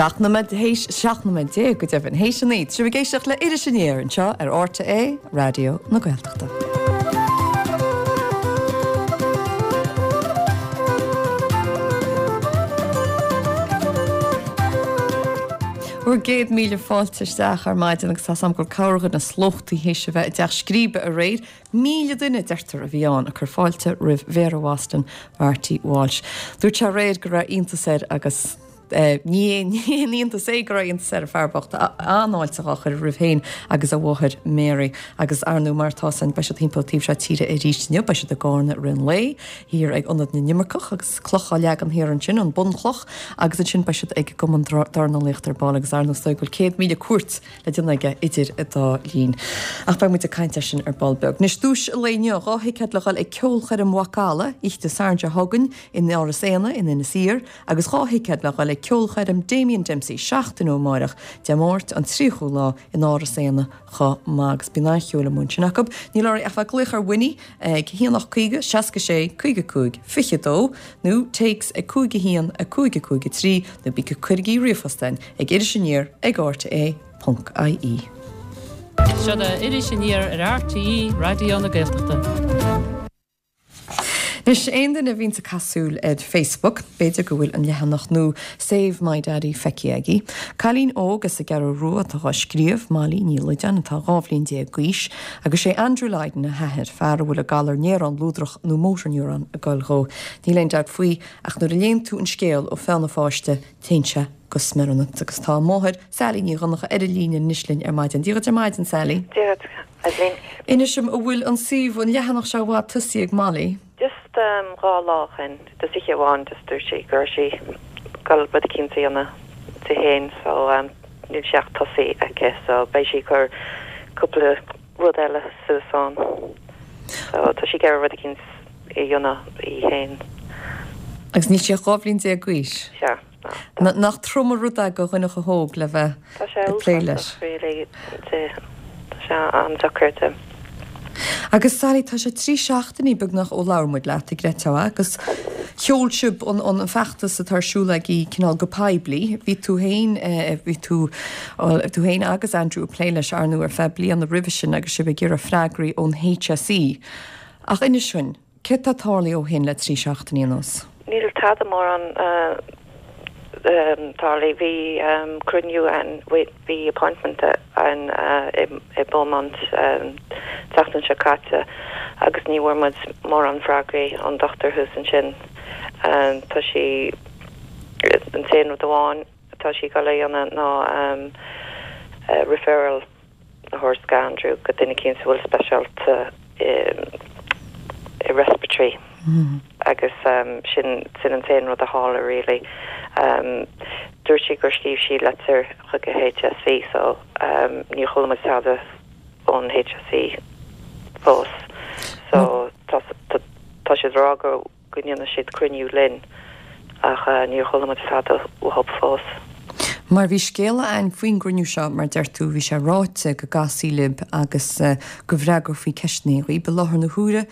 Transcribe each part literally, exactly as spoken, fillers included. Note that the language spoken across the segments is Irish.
Seacht nóiméad théis seacht nóiméad déag go deimhin théis a naoi, sibh ag éisteacht le Iris Aniar anseo ar RTÉ Raidió na Gaeltachta. Bhur gcéad míle fáilte isteach ar maidin agus tá sam gur cabhair na slóchtaí théis a bheith i dTeach Scríbe aréir, míle duine deirtear a bhí ann ag cur fáilte roimh Mhéara Bhoston Marty Walsh. Dúirt sé aréir go raibh iontas air agus ní haon iontas é go raibh iontas ar an fear bocht an-fháilte á chur roimh féin agus a mháthair Mary agus ar ndóigh mar tá san beidh siad timpeall taobh seo tíre arís inniu beidh siad i gCarna i rith an lae thiar ag Ionad na nImirceach agus cloch á leagan thiar ansin an bunchloch agus ansin beidh siad ag an gCumann Dornálaíochta ar ball agus ar ndóigh is dóigh go bhfuil céad míle cuairt le déanamh aige idir an dá linn. Ach beidh muid ag caint air sin ar ball beag. Anois duais an lae inniu dhá thicéad le dhul ag ceolchoirm Mhacalla oíche Dé Sathairn seo chugainn in Áras Éanna in Inis Oírr agus dhá thicéad le dhul ag ceolchoirm Damien Dempsey seachtain ó amárach Dé Máirt an tríochú lá in Áras Éanna chomh maith agus bíonn an-cheol amuigh ansin acu. Níl oraibh ach bheith ag glaoch ar Winnie ag haon ocht caoga seasca sé caoga cúig fiche dó nó téacs ag cúig a haon a cúig a cúig a trí nó bí cuirigí ríomhphost chugainn ag Iris Aniar ag RTÉ ponc IE. Seo é Iris Aniar ar RTÉ Raidió na Gaeltachta. Anois aon duine a bhíonns ag caitheamh súil ar Facebook, b'fhéidir go bhfuil an leathanach nua Save My Daddy feicthe agaibh. Cailín óg as an gCeathrú Rua atá á scríobh, Molly Ní Loideáin, atá dhá bhliain déag d'aois, agus sé Andrew Lydon a hathair, fear a bhfuil an galar néarán luadrach nó motor neuron ag goil dhó. Níl aon dabht faoi ach nuair a léann tú an scéal ó pheann an pháiste, téann sé go smior ionat. Agus tá a máthair, Sally Ní Dhonncha, ar an líne anois linn ar maidin. Dia dhuit ar maidin, Sally. Dia dhuit, Eibhlín. Inis dom, an bhfuil an suíomh, an leathanach seo i bhfad tosaithe ag Molly? Just dhá lá ó shin, just oíche amháin, just dúirt sí go raibh sí ag dul rud eicínt a dhéanamh di féin so níl sé ach tosaithe aici so beidh sí ag cur cúpla rud eile suas ann. So tá sí ag iarraidh rud eicínt a dhéanamh í féin. Agus níl sí ach dhá bhliain déag d'aois. Sea. Nach trom an rud é do dhuine chomh hóg le bheith Tá sé ag plé leis. uafásach really di. Tá sé an-deacair di. Agus Sally, tá sé trí seachtainí beagnach ó labhair muid leat, an gcreidfeá, agus sheol sibh an, an feachtas atá ar siúl agaibh cineál go poiblí. Bhí tú féin, bhí tú, tú féin agus Andrew ag plé leis ar ndóigh ar feadh bliana roimhe sin agus sibh ag iarraidh freagraí ón HSE. Ach inis dúinn, céard atá tarlaithe ó shin le trí seachtainí anuas? Níl tada mórán tarlaithe. Bhí cruinniú ann, bhí appointment ann i Beaumont tseachtain seo caite agus ní bhfuair muid mórán freagraí ón dochtúir thuas ansin. Tá sí an t-aon rud amháin atá sí ag dul a dhéanamh ná referral a thabhairt go Andrew go duine eicínt a bhfuil speisialta i respiratory. agus sin sin an t-aon rud a tharla really. Dúirt sí gur scríobh sí litir chuig an HSE so níor chuala muid tada ón HSE fós. So tá tá siad ag rá go go ndéanfaidh siad cruinniú linn ach níor chuala muid tada uathu fós. Mar bhí scéala ann faoin gcruinniú seo, mar deir tú, bhí sé ráite go gcasfaí libh agus go bhfreagrófaí ceisteanna dhaoibh. I láthair na huaire,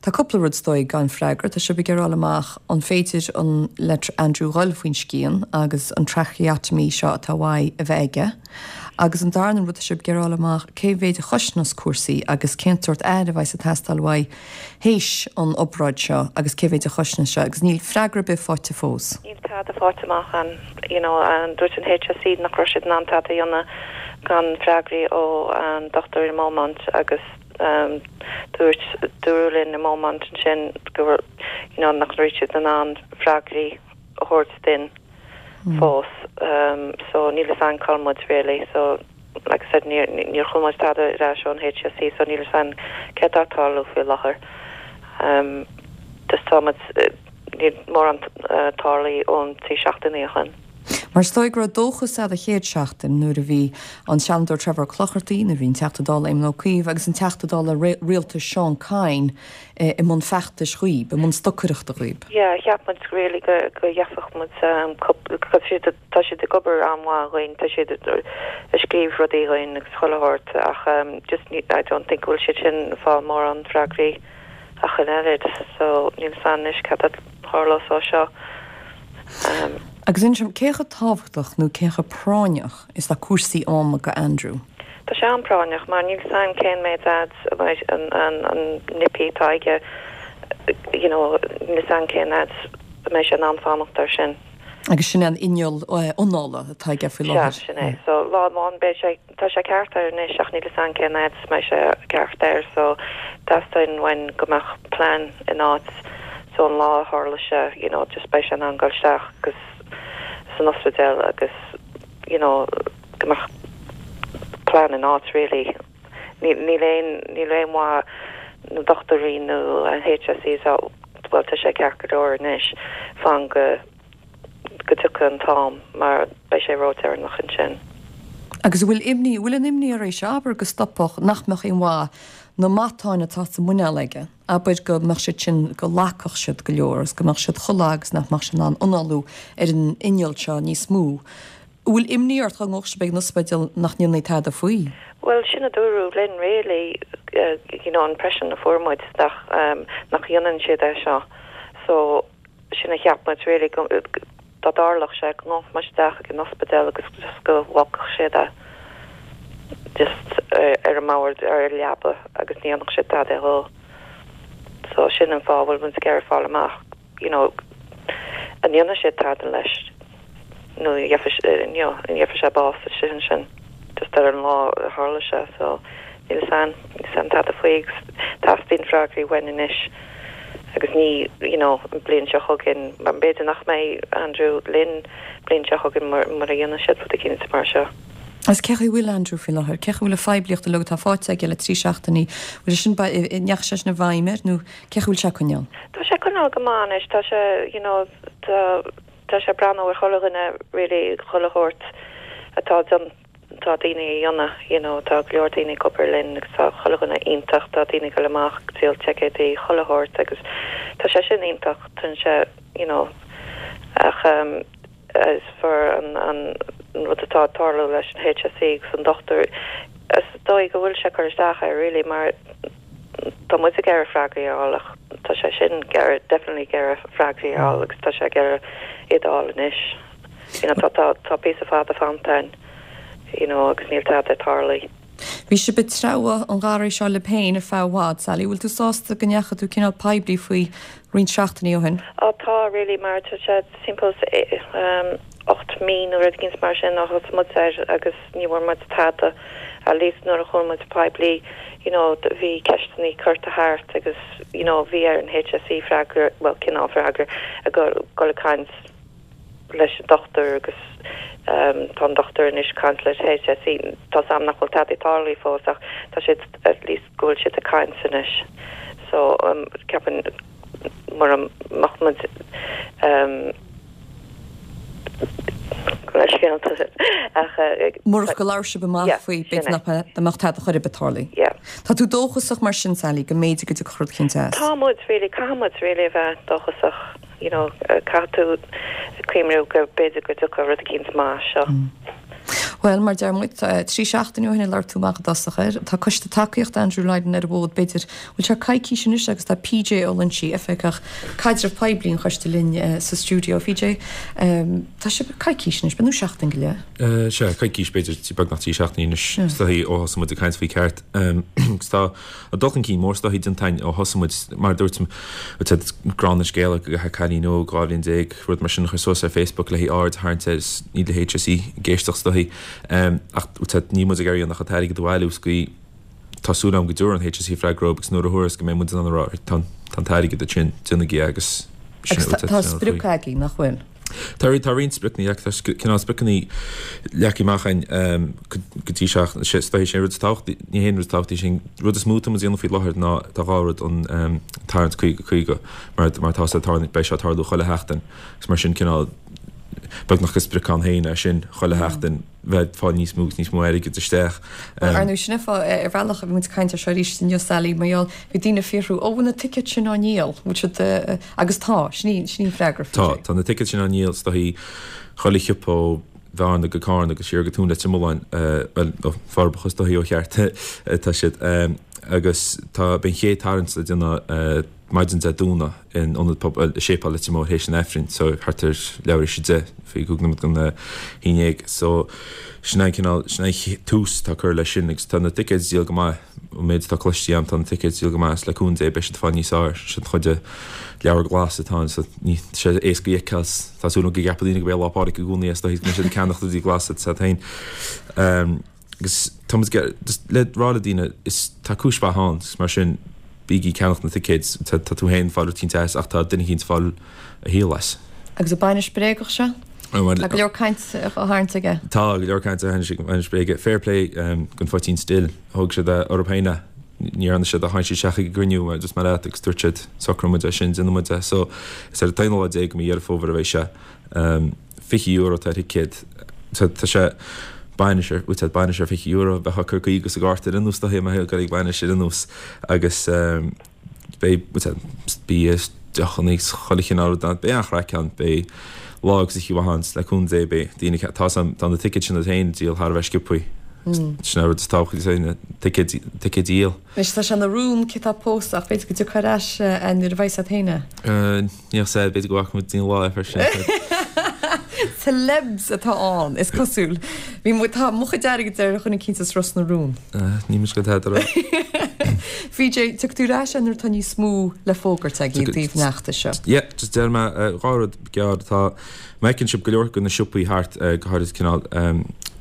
tá cúpla rud is dóigh gan freagra. Tá sibh ag iarraidh fháil amach an féidir an le Andrew dhul faoin scian agus an tracheotomy seo atá uaidh a bheith aige. Agus an darna rud tá sibh ag iarraidh fháil amach cé mhéid a chosnós cúrsaí agus cén sórt aire a bheidh ag teastáil uaidh théis an obráid seo agus cé mhéid a chosnós seo agus níl freagra ar bith faighte fós. Níl tada faighte amach an you know an dúirt an HSE nach raibh siad in ann tada a dhéanamh gan freagraí ó an dochtúir i Beaumont agus um, dúirt dúradh linn i Beaumont ansin go you know nach raibh siad in ann freagraí a thabhairt dúinn fós um, so níl a fhios againn cá bhfuil muid really so like I said níor níor chuala muid tada ar ais ón HSE so níl a fhios againn céard atá ag tarlú faoi láthair um, just tá muid níl mórán uh, tarlaithe ón trí seachtainí ó shin. Mar is dóigh go raibh dóchas ann an chéad seachtain nuair a bhí an Seanadóir Trevor Ó Clochartaigh, nuair a bhí an Teachta Dála Éamon Ó Cuív agus an Teachta Dála Rialtais Seán Kyne i mbun feachtais dhaoibh, i mbun stocaireachta dhaoibh. Yeah, cheap muid really go go gheobhadh muid um, siad tá siad ag obair an-mhaith dhúinn, tá siad ag scríobh rudaí dhúinn agus chuile shórt ach um, just ní, I don't think bhfuil siad sin ag fáil mórán freagraí ach an oiread, so níl a fhios againn anois cad a tharlós ó seo. Um, Agus inis dom, cé chomh tábhachtach nó cé chomh práinneach is atá cúrsaí ama go Andrew? Tá sé an-práinneach mar níl 's a'm cén méid fhad a mbeidh an an an nippy atá aige you know níl 's a'm cén fhad a mbeidh sé in ann fanacht air sin. Agus sin an inneall anála atá aige faoi láthair. Sea, sin é. So lá amháin beidh sé, tá sé ceart air anois ach níl 's a'm cén fhad a mbeidh sé ceart air so teastaíonn uainn go mbeadh plean in áit so an lá a tharla sé you know just beidh sé in ann dul isteach agus san ospidéal agus you know go mbeadh plean in áit really. Níl níl aon níl aon mhaith na dochtúirí nó an HSE so bhuel tá sé ceart go leor anois fan go go dtiocfaidh an t-am mar beidh sé ródheireanach ansin. Agus an bhfuil imní, an bhfuil an imní ar éis, abair go stopfadh, nach mbeadh aon mhaith na matáin atá sa muineál aige, abair go mbeadh siad sin, go lagfadh siad go leor agus go mbeadh siad chomh lag agus nach mbeadh sé in ann análú ar an inneall seo níos mó. An bhfuil imní ort dá ngabhfadh sibh ag an ospidéal nach ndéanfaí tada faoi? Bhuel, sin a dúradh linn really, you know, an impression a fuair muid nach, nach dhéanann siad é seo. So, sin a cheap muid really go, dá dtarlódh sé go ngabhfadh muid isteach ag an ospidéal agus just go bhfágfadh siad é just ar an mbord, ar an leaba agus ní dhéanfadh siad tada dhó. So sin an fáth a bhfuil muid ag iarraidh fáil amach, you know, an ndéanfaidh siad tada leis nó an gheobhaidh sé bás istigh ansin just ar an lá a tharla sé so níl 'fhios a'm, níl 'fhios a'm tada faoi agus teastaíonn freagraí uainn anois agus ní you know an bliain seo chugainn mar b'fhéidir nach mbeidh Andrew linn bliain seo chugainn mura dhéanann siad rud eicínt mar seo. Agus cé chaoi bhfuil Andrew faoi láthair? Cé chaoi bhfuil a phoiblíocht uilig atá faighte aige le trí seachtainí, bhfuil sin an ndeachaigh sé sin i bhfeidhm air nó cé chaoi bhfuil sé ag coinneáil? Tá sé ag coinneáil go maith anois, tá sé you know tá tá sé ag breathnú ar chuile dhuine really chuile shórt atá tá daoine a dhéanamh you know tá go leor daoine ag obair linn agus tá chuile dhuine iontach tá daoine ag dul amach ag díol ticéidí chuile shórt agus tá sé sin iontach tá sé you know ach um, as far an an rud atá ag tarlú leis an HSE agus an dochtúir is dóigh go bhfuil sé cur isteach air really mar tá muid ag iarraidh freagraí a fháil ach tá sé sin ag iarraidh definitely ag iarraidh freagraí a fháil agus tá sé ag iarraidh iad a fháil anois. You know, tá tá tá píosa fada fanta ann you know agus níl tada ag tarlú. Bhí sibh ag treabhadh an gharraí seo libh féin ar feadh i bhfad, Sally. Bhfuil tú sásta go ndeachaigh tú cineál poiblí faoi roinnt seachtainí ó shin? Á tá really mar tá sé timpeall um, ocht mí nó rud éigin mar sin ó thosaigh muid air agus ní bhfuair muid tada at least nuair a chuaigh muid poiblí you know bhí ceisteanna curtha thart agus you know bhí ar an HSE freagra well cineál freagra a go go ag caint leis an dochtúir agus um, tá an dochtúir anois caint leis HSE tá sam nach bhfuil tada tarlaithe fós ach tá siad at least go bhfuil siad ag caint anois so um, ceapaim mura mbeadh muid um, Murach go labhair sibh amach faoi b'fhéidir nach mbeadh tada chor ar bith tarlaithe. Tá tú dóchasach mar sin Sally go mb'fhéidir go dtiocfadh rud eicínt as. Tá muid really caithfidh muid really a bheith dóchasach you know caithfidh tú cuimhniú go b'fhéidir go dtiocfadh rud eicínt maith as seo. Bhuel mar deir muid trí seachtaine ó shin a labhair tú amach i dtosach air. Tá coiste tacaíochta Andrew Lydon ar an bhfód b'fhéidir bhfuil sé coicís anois agus tá PJ Ó Loinsigh, oifigeach caidreamh poiblí an choiste linn sa stiúideo. PJ, tá sé coicís anois, nó seachtain go leith? Sea, coicís b'fhéidir beagnach trí seachtainí anois is dóichí ó thosaigh muid ag caint faoi ceart. Agus tá dul chun cinn mór is dóichí déanta againn ó thosaigh muid mar a dúirt gránna scéal go cailín óg dhá bhliain déag rud mar sin a chur suas ar Facebook le aird a tharraingt air is níl le HSE ag éisteacht is dóichí. Ach níl muid ag iarraidh ach an t-airgead a bhailiú is go tá súil agam go dtabharfaidh an HSE freagra agus nuair a thabharfas go mbeidh muid in ann a rá tá an t-airgead ansin déanaigí é agus Agus tá sprioc agaibh nach bhfuil? Tá tá roinnt spriocanna tá cineál spriocanna leagtha amach againn go dtí seo is dóichí sé an rud is tábhachtaí ní haon rud is tábhachtaí sin rud is mó atá muid a dhéanamh faoi láthair ná tá dhá rud an tarraingt caoga caoga mar mar tá sé beidh sé ag tarlú chuile sheachtain agus mar sin cineál beagnach is sprioc ann féin é sin chuile sheachtain bheith ag fáil níos mó agus níos mó airgid isteach. Bhuel, ar ndóigh, sin é fáth, ar bhealach, bhí muid ag caint ar seo arís inniu, Sally, mar gheall, bhí daoine ag fiafraí, ó, bhfuil na ticéid sin á ndíol? Bhfuil siad, agus tá, sin í, sin í an freagra, Tá, tá na ticéid sin á ndíol, is dóichí, chuile shiopa ó Bhearna go Carna agus siar go Tóin Leitir Mealláin, bhuel, ó Forbacha is dóichí ó cheart, tá siad. Agus tá beidh an chéad tarraingt le déanamh maidin Dé Domhnaigh in Ionad Pobail i Séipéal Leitir Móir théis an Aifrinn so thart ar leathuair théis a deich faoi chúig nóiméad don haon dhéag so sin an cineál sin an tús atá curtha leis sin agus tá na ticéid ag díol go maith ón méid atá cloiste agam tá na ticéid ag díol go maith is le cúnamh Dé beidh siad ag fáil níos fearr sin an chuid de leabhar glas atá ann so ní tá sé éasca a fheiceáil tá súil agam go gceapfaidh daoine go b'é Lá Pádraig i gcónaí é is dóigh go mbeidh siad ag ceannach rudaí glasa tá féin. Agus tá muid just le rá le daoine is tá cúis mhaith ann agus mar sin bígí ag ceannach na ticéid tá tá tú féin ag fáil rud eicínt as ach tá duine eicínt ag fáil a shaol as. Agus an bainis bréagach seo? Tá go leor caint á tharraingt aige. Tá go leor caint á tharraingt ag bainis bréige. Fair play don Phoitín Stil. Thóg siad é orthu féin é. Ní dhearna siad ach tháinig siad isteach ag an gcruinniú mar just mar leat agus dúirt siad socróidh muid é sin, déanfaidh muid é. So is ar an t-aonú lá déag de mhí Dheireadh Fómhair a bheidh sé. Fiche euro atá ar thicéad. Tá sé bainis ar, bhuel, bainis ar fiche euro, bheifeá ag cur caoga sa gcárta ar aon nós, dóigh, mar ag bainis ar aon nós agus beidh, bhuel, bia, deochanna agus chuile chineál rud ann. Beidh an-chraic ann, beidh lá agus oíche mhaith ann, le cúnamh Dé, beidh daoine, tá a fhios agam, tá na ticéid sin iad féin ag díol thar a bheith sciobthaí. Sin an rud is tábhachtaí, na ticéid, ticéid a dhíol. Anois tá sé ina rún cé atá ag pósadh ach b'fhéidir go dtiocfá ar ais nuair a bheidh siad féin. Níl 's a'd, b'fhéidir go bhfaca muid daoine lá freisin. Celebs atá ann, is cosúil. Bhí mo, tá mo chuid airgid ar dhuine eicínt as Ros na Rún. Níl mise go tada rá. PJ, tiocfaidh tú ar ais nuair atá níos mó le fógairt agaibh i dtaobh an fheachtais seo. Yeah, just déarfaidh mé dhá rud gearr atá, má fheiceann sibh go leor de na siopaí thart, go háirid cineál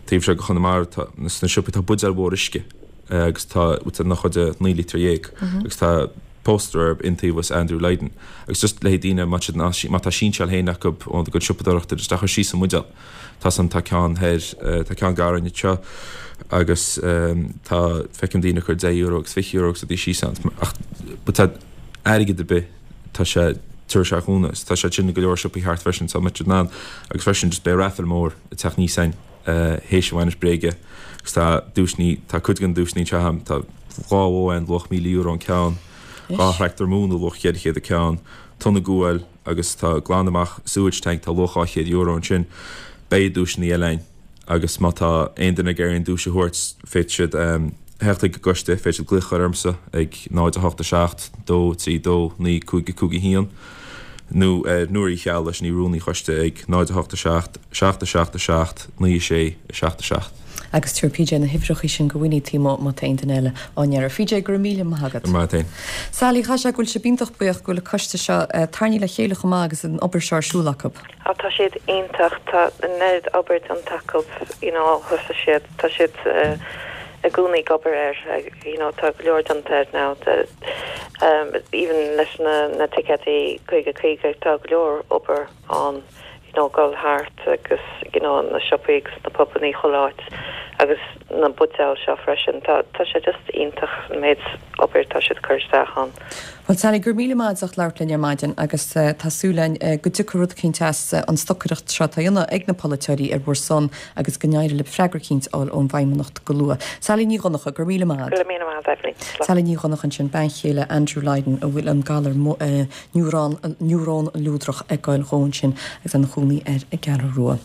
taobh seo de Chonamara, tá, sna siopaí tá buidéal mhór uisce agus tá, ina chuid de naoi lítear dhéag agus tá póstaer arb iontaobhas Andrew Lydon agus just le haghaidh daoine má siad má tá sinseáil féin acu óna gcuid siopadóireachta just a chur síos sa mbuidéal. Tá san tá ceann thoir tá ceann gar againn anseo agus tá feicim daoine ag cur deich euro agus fiche euro agus rudaí síos ann ach but tá airgead ar bith tá sé tabharfaidh sé cúnamh agus tá sé sin i go leor siopaí thart freisin so má tá siad in ann agus freisin just beidh raffle mór ag teacht aníos againn théis an bhainis bréige agus tá duaiseanna tá cuid den duaiseanna anseo agam tá dhá bhó ann luach míle euro an ceann, dhá thractor móna luach cheithre chéad an ceann, tonna guail agus tá glanadh amach sewage tank tá luach dhá chéad euro ansin. Beidh duaiseanna eile ann agus má tá aon duine ag iarraidh aon duais a thabhairt féadfaidh siad theacht chuig an gcoiste, féadfaidh siad glaoch a chur ormsa ag náid a hocht a seacht, dó trí dó, naoi cúig a cúig a haon nó ar Nóra Uí Cheallaigh, sin í rúnaí an choiste ag náid a hocht a seacht, seacht a seacht a seacht, naoi a sé, a seacht a seacht. Agus tabharfaidh PJ na huimhreacha sin go Winnie taobh amuigh má tá aon duine eile á n-iarraidh. PJ, go raibh míle maith agat. Go raibh maith agat féin. Sally, chaithfeadh sé go bhfuil sibh iontach buíoch go bhfuil an coiste seo tarraingthe le chéile chomh maith agus an obair seo ar siúl acu. Á tá siad iontach, tá an oiread obair déanta acu you know ó thosaigh siad, tá siad i gcónaí ag obair air you know tá go leor déanta air now even leis na na ticéadaí caoga caoga tá go leor obair ann. you know dul thart agus you know na siopaí agus na pubannaí chuile áit agus na buidéil seo freisin. Tá tá sé just iontach an méid obair atá siad ag cur isteach ann. Bhuel Sally, go raibh míle maith agat as ucht labhairt linn ar maidin agus tá súil againn go dtiocfaidh rud eicínt as an stocaireacht seo atá á dhéanamh ag na polaiteoirí ar bhur son agus go n-éireoidh libh freagra eicínt a fháil ón bhFeidhmeannacht go luath. Sally Ní Dhonncha, go raibh míle maith agat. Go raibh míle maith agat Eibhlín. Slán. Sally Ní Dhonncha ansin, bean chéile Andrew Lydon a bhfuil an galar Niúrón, niúrón luadrach ag goil dhó ansin agus é ina chónaí ar an gCeathrú Rua.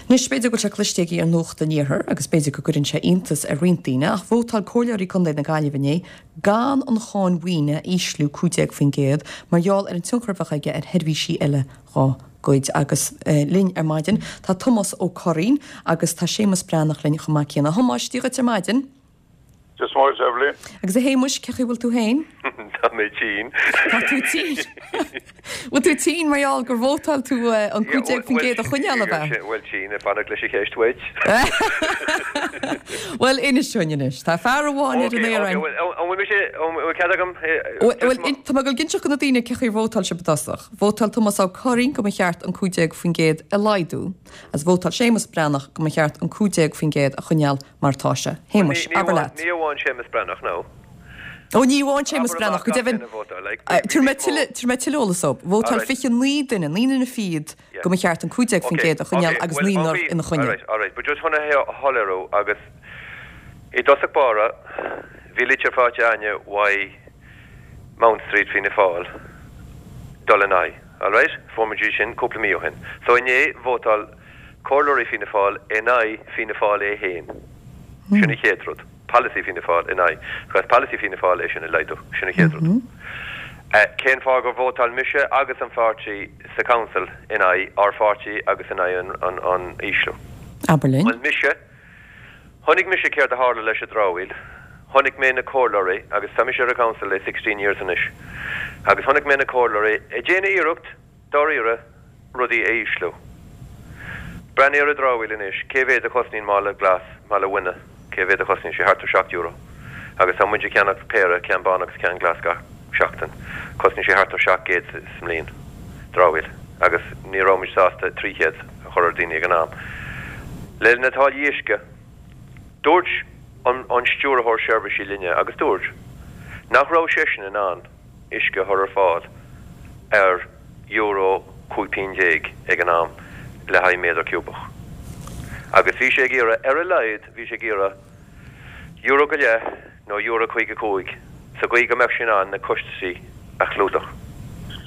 Anois, b'fhéidir go bhfuil sé cloiste agaibh ar Nuacht an Iarthair agus b'fhéidir go gcuireann sé iontas ar roinnt daoine ach vótáil comhairleoirí Contae na Gaillimhe inné gan an cháin mhaoine a ísliú cúig déag faoin gcéad mar gheall ar an tionchar a bheadh aige ar sheirbhísí eile dhá gcuid. Agus linn ar maidin tá Tomás Ó Curraoin agus tá Séamus Breathnach linn chomh maith céanna. A Thomáis, Dia dhuit ar maidin. Dia is Muire duit, Eibhlín. Agus a Shéamuis, cé chaoi bhfuil tú féin? Tá mé tinn. Tá tú tinn. Bhfuil tú tinn mar gheall gur vótáil tú an cúig déag faoin gcéad a choinneáil, ab ea? Bhuel, tinn, ag fanacht leis an cheist uait. Bhuel, inis dúinn anois. Tá fear amháin ar an aer againn. An bhfuil mise, an bhfuil cead agam? Bhuel, tá mé ag dul ag inseacht do na daoine cé chaoi ar vótáil sibh i dtosach. Vótáil Tomás Ó Curraoin go mba cheart an cúig déag faoin gcéad a laghdú agus vótáil Séamus Breathnach go mba cheart an cúig déag faoin gcéad a choinneáil mar atá sé. Shéamuis, abair leat. Ní amháin Séamus Breathnach, nó. Ó, ní amháin Séamus Breathnach, go deimhin. Tabharfaidh mé tuilleadh eolais dóibh. Vótáil fiche naoi duine, naoi nduine fichead, go mba cheart an cúig déag faoin gcéad a choinneáil agus naonúr ina choinne. Alright, alright, but just chun a shoiléiriú, agus i dtosach báire, bhí litir faighte againne uaidh Mount Street Fianna Fáil dul in aghaidh, alright? Fuair muid í sin cúpla mí ó shin. So inné, vótáil Comhairleoirí Fianna Fáil in aghaidh Fianna Fáil é féin. Sin an chéad rud. polasaí Fianna Fáil in aghaidh, agus polasaí Fianna Fáil é sin a laghdú, sin an chéad rud. Cén fáth gur vótáil mise agus an pháirtí sa council in aghaidh ár pháirtí agus in aghaidh an an ísliú? Abair linn. Bhuel mise, chonaic mise céard a tharla leis an dramhaíl, chonaic mé na comhairleoirí, agus tá mise ar an council le sixteen years anois, agus chonaic mé na comhairleoirí ag déanamh iarracht, dáiríre, rudaí a ísliú. Breathnaigh ar an dramhaíl anois, cé mhéad a chosnaíonn mála glas, mála bainne, cé mhéad a chosnaíonn sé? Thart ar seacht euro. Agus tá muid ag ceannach péire, ceann bán agus ceann glas gach seachtain. Cosnaíonn sé thart ar seacht gcéad sa mbliain, dramhaíl. Agus ní raibh muid sásta trí chéad a chur ar daoine ag an am. Le na táillí uisce, dúirt an an stiúrthóir seirbhísí linne, agus dúirt, nach raibh seisean in ann uisce a chur ar fáil ar euro cúig pingin déag ag an am le haghaidh méadar ciúbach. Agus bhí sé ag iarraidh, ar a laghad, bhí sé ag iarraidh euro go leith nó euro caoga cúig sa gcaoi go mbeadh sé in ann na costaisí a chlúdach.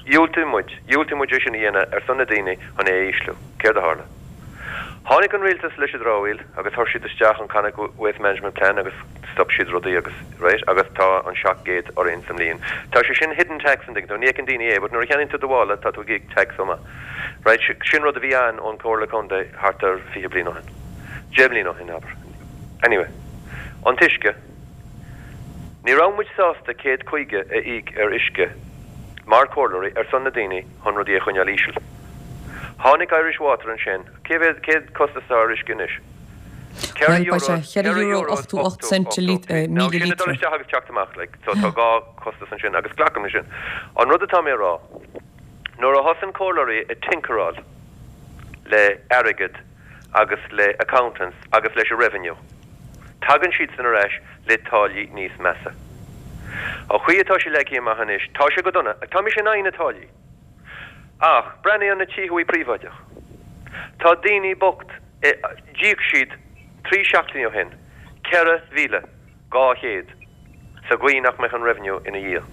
Dhiúltaigh muid, dhiúltaigh muid é sin a dhéanamh ar son na daoine chun é a ísliú. Céard a tharla? Tháinig an rialtas leis an dramhaíl agus chuir siad isteach an Connacht Waste Management Plan agus stop siad rudaí agus, right, agus tá an seacht gcéad orainn sa mbliain. Tá sé sin hidden tax an dtuigeann tú, ní fheiceann daoine é but nuair a cheannaíonn tú do mhála tá tú ag íoc tax chomh maith. Right, sin rud a bhí ann ón Comhairle Contae thart ar fiche bliain ó shin. Deich mbliana ó shin, abair. Anyway, an t-uisce. Ní raibh muid sásta céad caoga a íoc ar uisce mar chomhairleoirí ar son na daoine chun rudaí a choinneáil íseal. Tháinig Irish Water ansin, cé mhéad, cén costas atá ar uisce anois? Ceithre Bhuel, beidh euro, sé cheithre ceithre euro euro ochtó ocht ochtó cent ochtó a trí. Now míle sin ag dul lítra. isteach agus teacht amach, like, so tá dhá chostas ansin agus glacaim leis sin. An rud atá mé a rá, nuair a thosaíonn comhairleoirí ag tinkeráil le airgead agus le accountants agus leis an revenue, tagann siadsan ar ais le táillí níos measa. An chaoi atá sé leagtha amach anois, tá sé go dona, tá mise in aghaidh na táillí. Ach breathnaigh ar na tithe príobháideach. Tá daoine bocht, d'íoc siad trí seachtainí ó shin ceithre mhíle dhá chéad sa gcaoi nach mbeadh an revenue ina dhiaidh.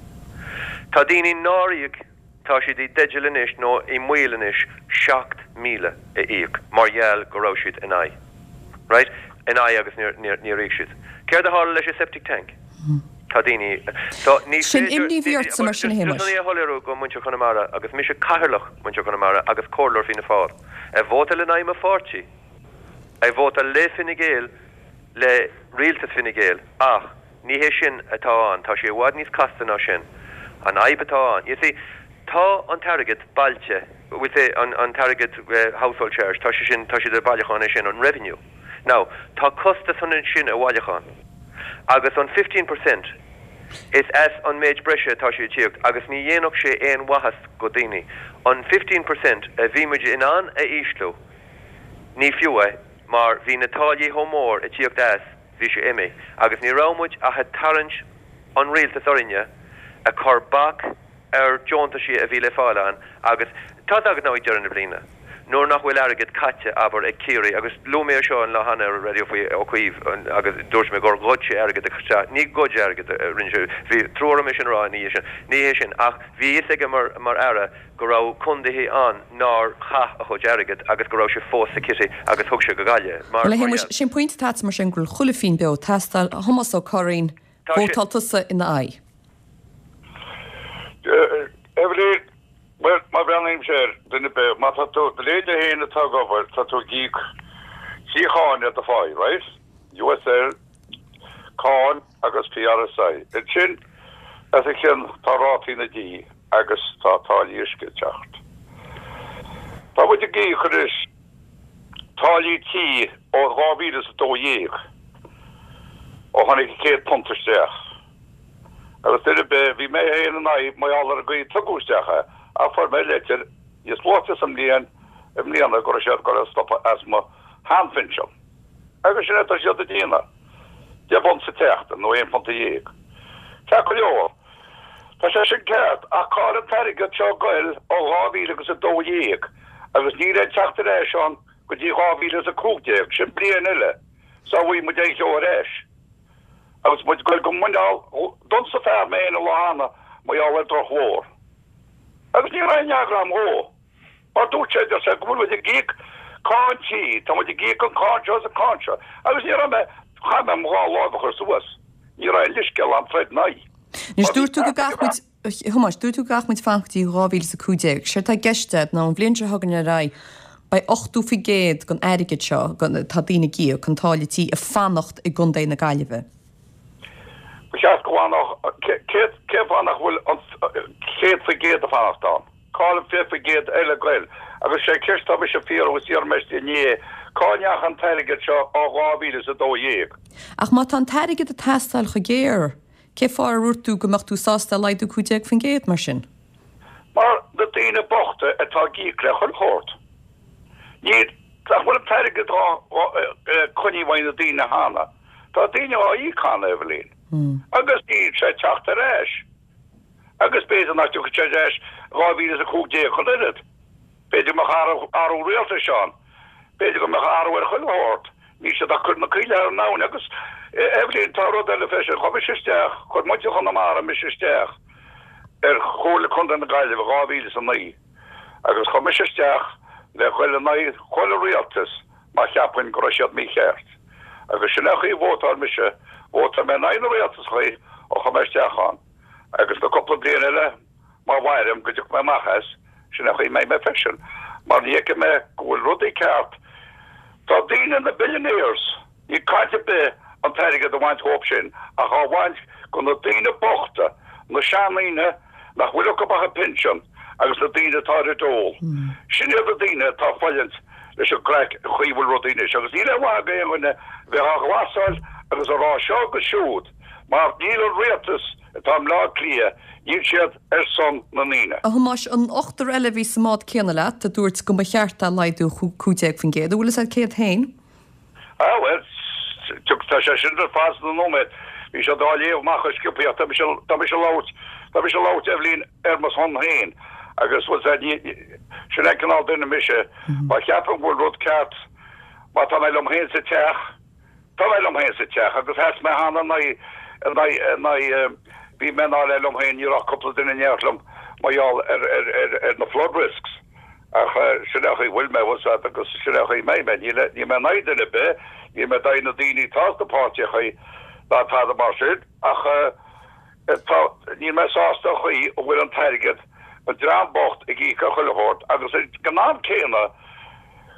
Tá daoine nár íoc, tá siad i dteideal anois nó i mbaol anois seacht míle a íoc mar gheall go raibh siad in aghaidh. Right? In aghaidh agus níor, níor, níor íoc siad. Céard a tharla leis an septic tank? Tá daoine, so ní Sin féidir, imní a bhí ortsa mar sin a just Shéamais. chun é a shoiléiriú go muintir Chonamara agus mise cathaoirleach muintir Chonamara agus comhairleoir Fianna Fáil, ag vótáil in aghaidh mo pháirtí, ag vótáil le Fine Gael, le rialtas Fine Gael, ach ní hé sin atá ann, tá sé i bhfad níos casta ná sin. An fhadhb atá ann, you see, tá an t-airgead bailithe, we'll say an, an t-airgead household charge, tá sé sin, tá siad ag bailiúchán é sin, an revenue. Now, tá costas chun sin a bhailiúchán. Agus an fifteen percent, is as an méid breise atá sé ag tíocht agus ní dhéanfadh sé aon mhaitheas go daoine. An fifteen percent a bhí muid in ann a ísliú, ní fiú é mar bhí na táillí chomh mór ag tíocht as, bhí sé imithe agus ní raibh muid ach ag tarraingt an rialtas orainne ag cur bac ar deontaisí a bhí le fáil ann agus tá a fhios agat now ag deireadh na bliana nuair nach bhfuil airgead caite, abair, ag Ciarraí agus luaigh mé é seo an lá cheana ar an raidió faoi Ó Cuív agus dúirt mé gur ghoid sé airgead isteach, ní ghoid airgead a rinne sé, bhí trua orm é sin a rá ina dhiaidh sin, ní hé sin ach bhí a fhios aige mar mar Aire go raibh contaetha ann nár chaith a chuid airgead agus go raibh sé fós sa kitty agus thug sé go Gaillimh mar Bhuel a mar Shéamais, gheall. sin pointe atá agat mar sin go bhfuil chuile phingin beo ag teastáil, a Thomas Ó Curraoin, Tá sé. vótáil tusa ina aghaidh. Eibhlín, Bhuel, má bhreathnaímse air, duine ar bith, má tá tú, do leithéide féin atá ag obair, tá tú ag íoc trí cháin ar do pháí, right? USL, cáin agus PRSI. Ansin, as a chionn, tá rátaí na dí agus tá táillí uisce ag teacht. Tá muid ag íoc anois táillí tí ó dhá mhíle is a dó dhéag, ó tháinig an chéad punt isteach. Agus duine ar bith, bhí mé féin in aghaidh mar gheall ar an gcaoi a tugadh isteach é, ach fuair mé leitir níos luaithe sa mbliain, i mbliana, go raibh siad ag dul a stopadh as mo sheanphinsean. Agus sin é atá siad ag déanamh. Deich bpunt sa tseachtain, nó aon phunt dhéag. Ceart go leor. Tá sé sin ceart, ach cá bhfuil an t-airgead seo ag goil ó dhá mhíle agus a dó dhéag, agus níl aon teacht ar ais ann go dtí dhá mhíle is a cúig déag, sin bliain eile, sá bhfaighidh muid aon cheo ar ais. Agus muid ag goil go muineál, d'ionsaigh fear mé féin an lá cheana mar gheall ar drochbhóthar. Agus ní raibh aon fhreagra agam dhó. Mar dúirt sé, deir sé, go bhfuil muid ag íoc Cáin tí, tá muid ag íoc an cáin seo is an cáin seo, agus ní raibh mé, chaith mé mo dhá láimh a chur suas, ní raibh aon leithscéal a'm troid in aghaidh. Anois dúirt tú go gcaithfidh muid, a Thomáis, dúirt tú go gcaithfidh muid fanacht go dtí dhá mhíle is a cúig déag. Séard atá i gceist a'd ná an bhliain seo chugainn ar aghaidh, beidh ochtó faoi gcéad den airgead seo, atá daoine ag íoc, an táille tí, ag fanacht i gContae na Gaillimhe. Ba cheart go bhfanfadh, cén fáth nach bhfuil an céad faoi gcéad ag fanacht ann? Cá bhfuil an fiche faoi gcéad eile ag goil? Agus sé ceist atá mise a fiafraí agus d'iarr mé inné, cá ndeacha an t-airgead seo ó dhá mhíle is a dó dhéag? Ach má tá an t-airgead ag teastáil chomh géar, cé fáth ar dhúirt tú go mbeadh tú sásta é a laghdú cúig déag faoin gcéad mar sin? Mar na daoine bochta atá ag íoc le chuile shórt. Níl, nach bhfuil an t-airgead á coinneáil uaidh na daoine cheana. Tá daoine á íoc cheana, Eibhlín. Agus níl sé ag teacht ar ais. Agus b'fhéidir nach dtiocfaidh sé ar ais dhá mhíle is a cúig déag ach an oiread. B'fhéidir go mbeadh athrú, athrú rialtais ann. B'fhéidir go mbeadh athrú ar chuile shórt. Níl siad ach cur na coill thar an abhainn. Agus, Eibhlín, tá rud eile freisin. Chuir mise isteach, chuir muintir Chonamara mise isteach ar Chomhairle Contae na Gaillimhe dhá mhíle is a naoi. Agus chuir mise isteach le ghoil in aghaidh chuile rialtas má cheapfainn go raibh siad mícheart. Agus sin é an chaoi a vótáil mise, vótáil mé in aghaidh na rialtasachaí ó chuir mé isteach ann. Agus na cúpla bliain eile, má mhairim go dtiocfaidh mé amach as, sin é an chaoi a mbeidh mé freisin. Mar ní fheicim é go bhfuil rudaí ceart. Tá daoine, na billionaires, níl caint ar bith an t-airgead a bhaint dhóibh sin ach á bhaint go na daoine bochta, na seandaoine nach bhfuil acu ach an pinsean agus na daoine atá ar an dole. Sin iad na daoine atá ag fulaingt leis an gcraic an chaoi a bhfuil rudaí anois agus níl aon mhaith ag aon dhuine bheith á ghlasáil agus a rá seo agus siúd mar níl an rialtas atá i mBleá Cliath, níl siad ar son na ndaoine. A Thomáis, an ochtar eile a bhí sa mbád céanna leat a dúirt go mba cheart é a laghdú cúig déag faoin gcéad, an bhfuil fhios a'd cé hiad féin? Ah bhuel, tá sé sin ar fad sna nóiméad. Bhí siad á léamh amach go sciobtha ach tá mise, tá mise ag labhairt, tá mise ag labhairt Eibhlín ar mo shon féin agus bhfuil 's a'd, ní, sin é an cineál duine mise. Má cheapaim go bhfuil rud ceart, má tá mé liom féin sa teach, tá mé liom féin sa teach agus sheas mé cheana in aghaidh, in aghaidh, in aghaidh, bhí mé i ndáil liom féin, ní raibh ach cúpla duine in éineacht liom mar gheall ar, ar, ar, ar na flood risks. Ach sin é an chaoi a bhfuil mé, bhfuil 's a'd, agus sin é an chaoi a mbeidh mé. Níl, níl mé in aghaidh duine ar bith, níl mé in aghaidh na daoine atá sna páirtíochaí ná tada mar sin, ach tá, níl mé sásta an chaoi a bhfuil an t-airgead, an dream bocht ag íoc ar chuile shórt agus ag an am céanna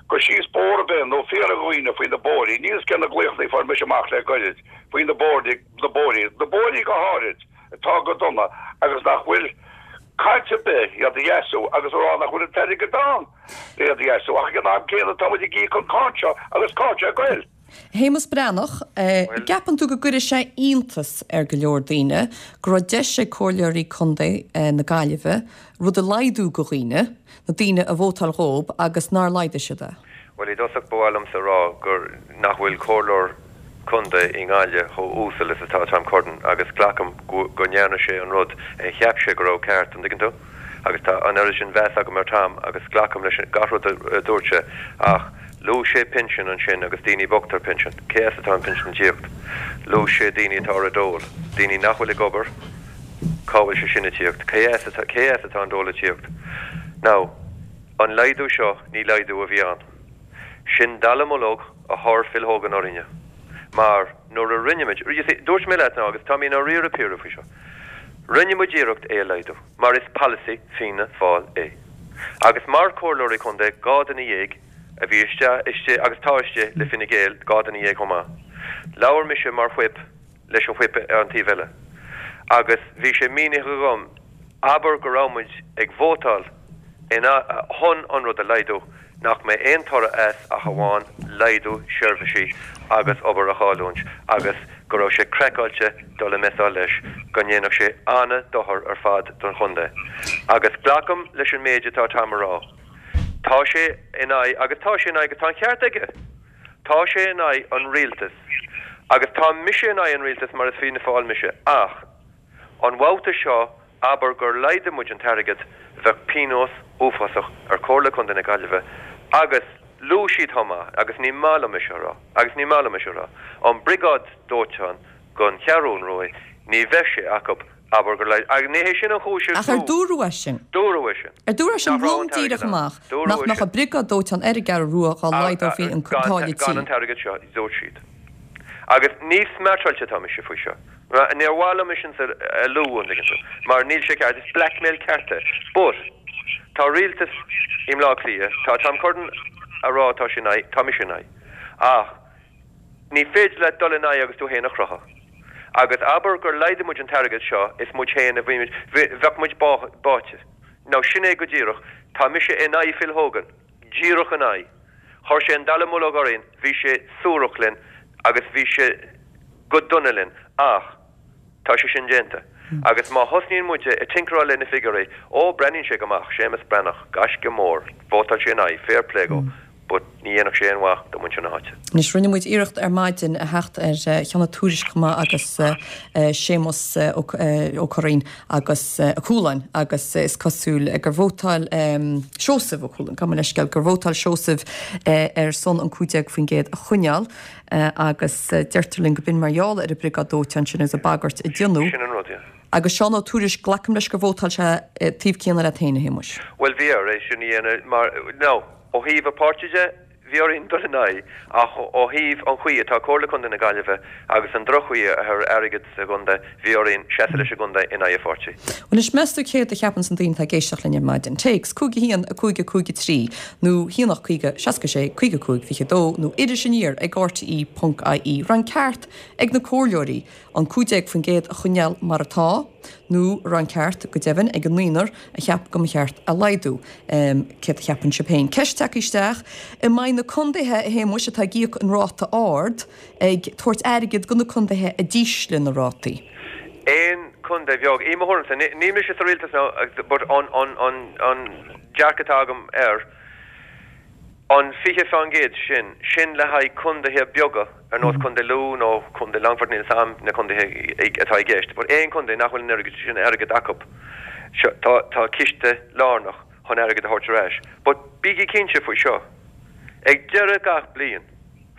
go síos bóthar ar bith nó fiafraigh de dhaoine faoi na bóithrí, níl 'fhios cé na glaochanna a fuair mise amach le goirid faoi na bóithrí, na bóithrí, na bóithrí go háirid atá go dona agus nach bhfuil caint ar bith iad a dheisiú agus a rá nach bhfuil an t-airgead ann le iad a dheisiú ach ag an am céanna tá muid ag íoc an cáin seo agus cá bhfuil sé ag goil. Shéamus Breathnach, An gceapann tú go gcuirfidh sé iontas ar go leor daoine go raibh deis ag comhairleoirí contae na Gaillimhe rud a laghdú go dhaoine, na daoine a vótáil dhób agus nár laghdaigh siad é? Bhuel, i dtosach ba mhaith liomsa a rá gur nach bhfuil comhairleoir contae i nGaillimh chomh uasal is atá Tom Curtin agus glacaim go ndearna sé an rud a cheap sé go raibh ceart, an dtuigeann tú? Agus tá an oiread sin mheas agam ar Tom agus glacaim leis gach rud a dúirt sé ach luaigh sé pinsean ansin agus daoine bochta ar pinsean. Cé as atá an pinsean ag tíocht? Luaigh sé daoine atá ar an dole, daoine nach bhfuil ag obair, cá bhfuil sé sin ag tíocht? Cé as atá, cé as atá an dole ag tíocht? Now, an laghdú seo, ní laghdú a bhí ann. Sin dallamullóg a chuir Phil Hogan orainne. Mar nuair a rinne muid, you see, dúirt mé leat now agus tá mé i ndáiríre píre faoi seo, rinne muid iarracht é a laghdú mar is polasaí Fianna Fáil é. Agus mar chomhairleoirí contae, dhá duine dhéag a bhí istigh, istigh agus tá istigh le Fine Gael, dhá duine dhéag chomh maith. Labhair mise mar whip leis an whip ar an taobh eile agus bhí sé mínithe agam, abair go raibh muid ag vótáil ina chun an rud a laghdú, nach mbeidh aon toradh as ach amháin laghdú seirbhísí agus obair a chailliúint agus go raibh sé craiceáilte dul ag messáil leis, go ndéanfadh sé an-dochar ar fad don chontae. Agus glacaim leis an méid atá Tom a rá. Tá sé in aghaidh, agus tá sé in aghaidh, agus tá an ceart aige! Tá sé in aghaidh an rialtais agus tá mise in aghaidh an rialtais mar is Fianna Fáil mise ach an babhta seo abair gur laghdaigh muid an t-airgead bheadh pionós uafásach ar Chomhairle Contae na Gaillimhe agus luaigh siad chomh maith agus ní maith liom é seo a rá agus ní maith liom é seo a rá an briogáid dóiteáin don Cheathrún Rua ní bheadh sé acu Abair gur laghdaigh, agus ní hé sin an chúis is Ach ar dúradh é sin? Dúradh é sin. Ar dúradh é sin Nach raibh lom an t-airgead díreach ann. amach Dúradh nach é mbeadh sin. an briogáid dóiteáin ar an gCeathrú Rua dhá laghdófaí an Gan táille gan tí? an t-airgead seo, dúirt siad. Agus níos smeartáilte atá mise faoi seo. Níor mhaith liom é sin a lua, an dtuigeann tú, mar níl sé ceart, is blackmail ceart é. But, tá rialtas i mBleá Cliath, tá Tom Curran a rá tá sé in aghaidh, tá mise in aghaidh. Ach ní féidir leat dul in aghaidh agus tú féin a chrochadh. Agus abair gur laghdaigh muid an t-airgead seo, is muid féin a bhí muid, bheadh muid báite. Now sin é go díreach, tá mise in aghaidh Phil Hogan, díreach in aghaidh. Chuir sé an dallamullóg orainn, bhí sé suarach linn agus bhí sé go dona linn, ach tá sé sin déanta. Agus má thosnaíonn muide ag tinkeráil le na figiúirí, ó, breathnaíonn sé go maith, Séamus Breathnach, gaisce mór, vótáil sé in aghaidh, fair play dhó, but ní dhéanfadh sé aon mhaith do mhuintir na háite. Anois, rinne muid iarracht ar maidin a theacht ar Cheann Tuairisc chomh maith agus Séamus Ó Curraoin agus Ó Cualáin agus is cosúil gur vótáil Seosamh Ó Cualáin, gabh mo leithscéal, gur vótáil Seosamh ar son an cúig déag faoin gcéad a choinneáil agus deirtear linn go b'in mar gheall ar an briogáid dóiteáin sin agus an bagairt a déanadh. Sin an rud, yeah. Agus Seán Ó Tuairisg, glacaim leis gur vótáil sé taobh céanna leat féin, a Shéamuis. Bhuel, bhí air é sin a dhéanamh mar, no, ó thaobh a pháirtí de, bhí orainn dul in aghaidh, ach ó thaobh an chaoi atá Comhairle Contae na Gaillimhe agus an droch-chaoi ar airgead sa gcontae, bhí orainn seasamh leis an gcontae in aghaidh a pháirtí. Bhuel anois, meas tú céard a cheapanns na daoine atá ag éisteacht linn ar maidin? Téacs, cúig a haon, a cúig a cúig a trí, nó haon ocht caoga, seasca sé, caoga a cúig, fiche a dó, nó iris aniar ag rte ponc ie. Raibh an ceart ag na comhairleoirí an cúig déag faoin gcéad a choinneáil mar atá, nó raibh an ceart, go deimhin, ag an naonúr a cheap go mba cheart a laghdú. Céard a cheapann sibh féin? Ceist tagtha isteach, An mbeidh na contaetha, a Shéamuis, atá ag íoc an ráta ard ag tabhairt airgead do na contaetha a d'ísligh na rátaí? Aon chontae bheag, i mo thuairimse, níl mise sa rialtas now but an an an dearcadh atá agam air, An fiche faoin gcéad sin, sin le haghaidh contaetha beaga ar nós Contae Lú nó Contae Longfoirt, níl 'fhios a'm na contaetha atá i gceist, but aon chontae nach bhfuil an oiread sin airgead acu, seo, tá, tá ciste lárnach chun airgead a thabhairt ar ais. But bígí cinnte faoi seo, ag deireadh gach bliain,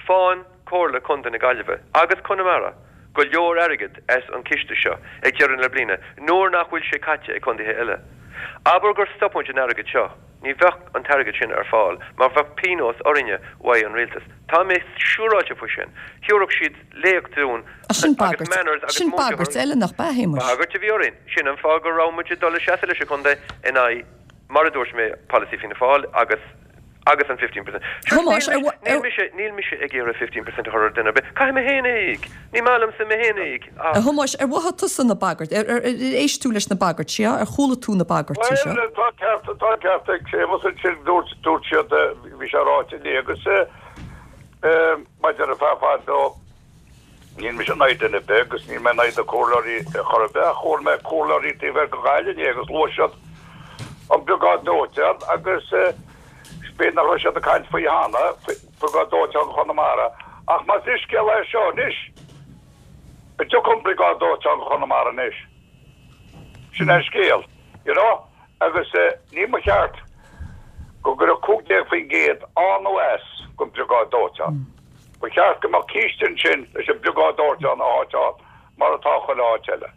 faigheann Comhairle Contae na Gaillimhe agus Conamara go leor airgead as an ciste seo ag deireadh na bliana nuair nach bhfuil sé caite ag contaetha eile. Abair gur stop muid an airgead seo, ní bheadh an t-airgead sin ar fáil mar bheadh pionós orainne uaidh an rialtas. Tá mé siúráilte faoi sin. Thiúrfadh siad léacht dúinn Ach sin agus bagairt, manners agus sin múinteoir bagairt eile nach b'ea, a Shéamuis? Bagairt a bhí orainn. Sin an fáth go raibh muid ag dul a seasamh leis an chontae in aghaidh, mar a dúirt mé, polasaí Fianna Fáil agus agus an fifteen percent. Sure, Thomáis, níl ar mise, níl mise, níl mise ag iarraidh fifteen percent a chur ar duine ar bith. Caithfidh mé féin é a íoc. Ní maith liomsa mé féin a íoc. A Ach. Thomáis, ar mhothaigh tusa na bagairt, ar, ar, ar éist tú leis na bagairtí seo, ar chuala tú na bagairtí seo? Bhuel, tá ceart, tá ceart ag Séamus ansin, dúirt, dúirt siad, bhí sé ráite inné agus eh, maidir le fear fad ó, Níl mise in aghaidh duine ar bith agus níl mé in aghaidh na comhairleoirí chor ar bith ach chuala mé comhairleoirí taobh thoir de Ghaillimh inné agus luaigh siad an briogáid dóiteáin agus b'fhéidir nach raibh siad ag caint faoi cheana, briogáid dóiteáin Chonamara. Ach más scéal é seo anois, an dtiocfaidh an briogáid dóiteáin go Chonamara anois? Sin é an scéal, you know, agus ní ba cheart go gcuirfeadh cúig déag faoin gcéad ann nó as don briogáid dóiteáin. Ba cheart go mbeadh ciste ansin leis an briogáid dóiteáin a sháiteáil mar atá chuile áit eile.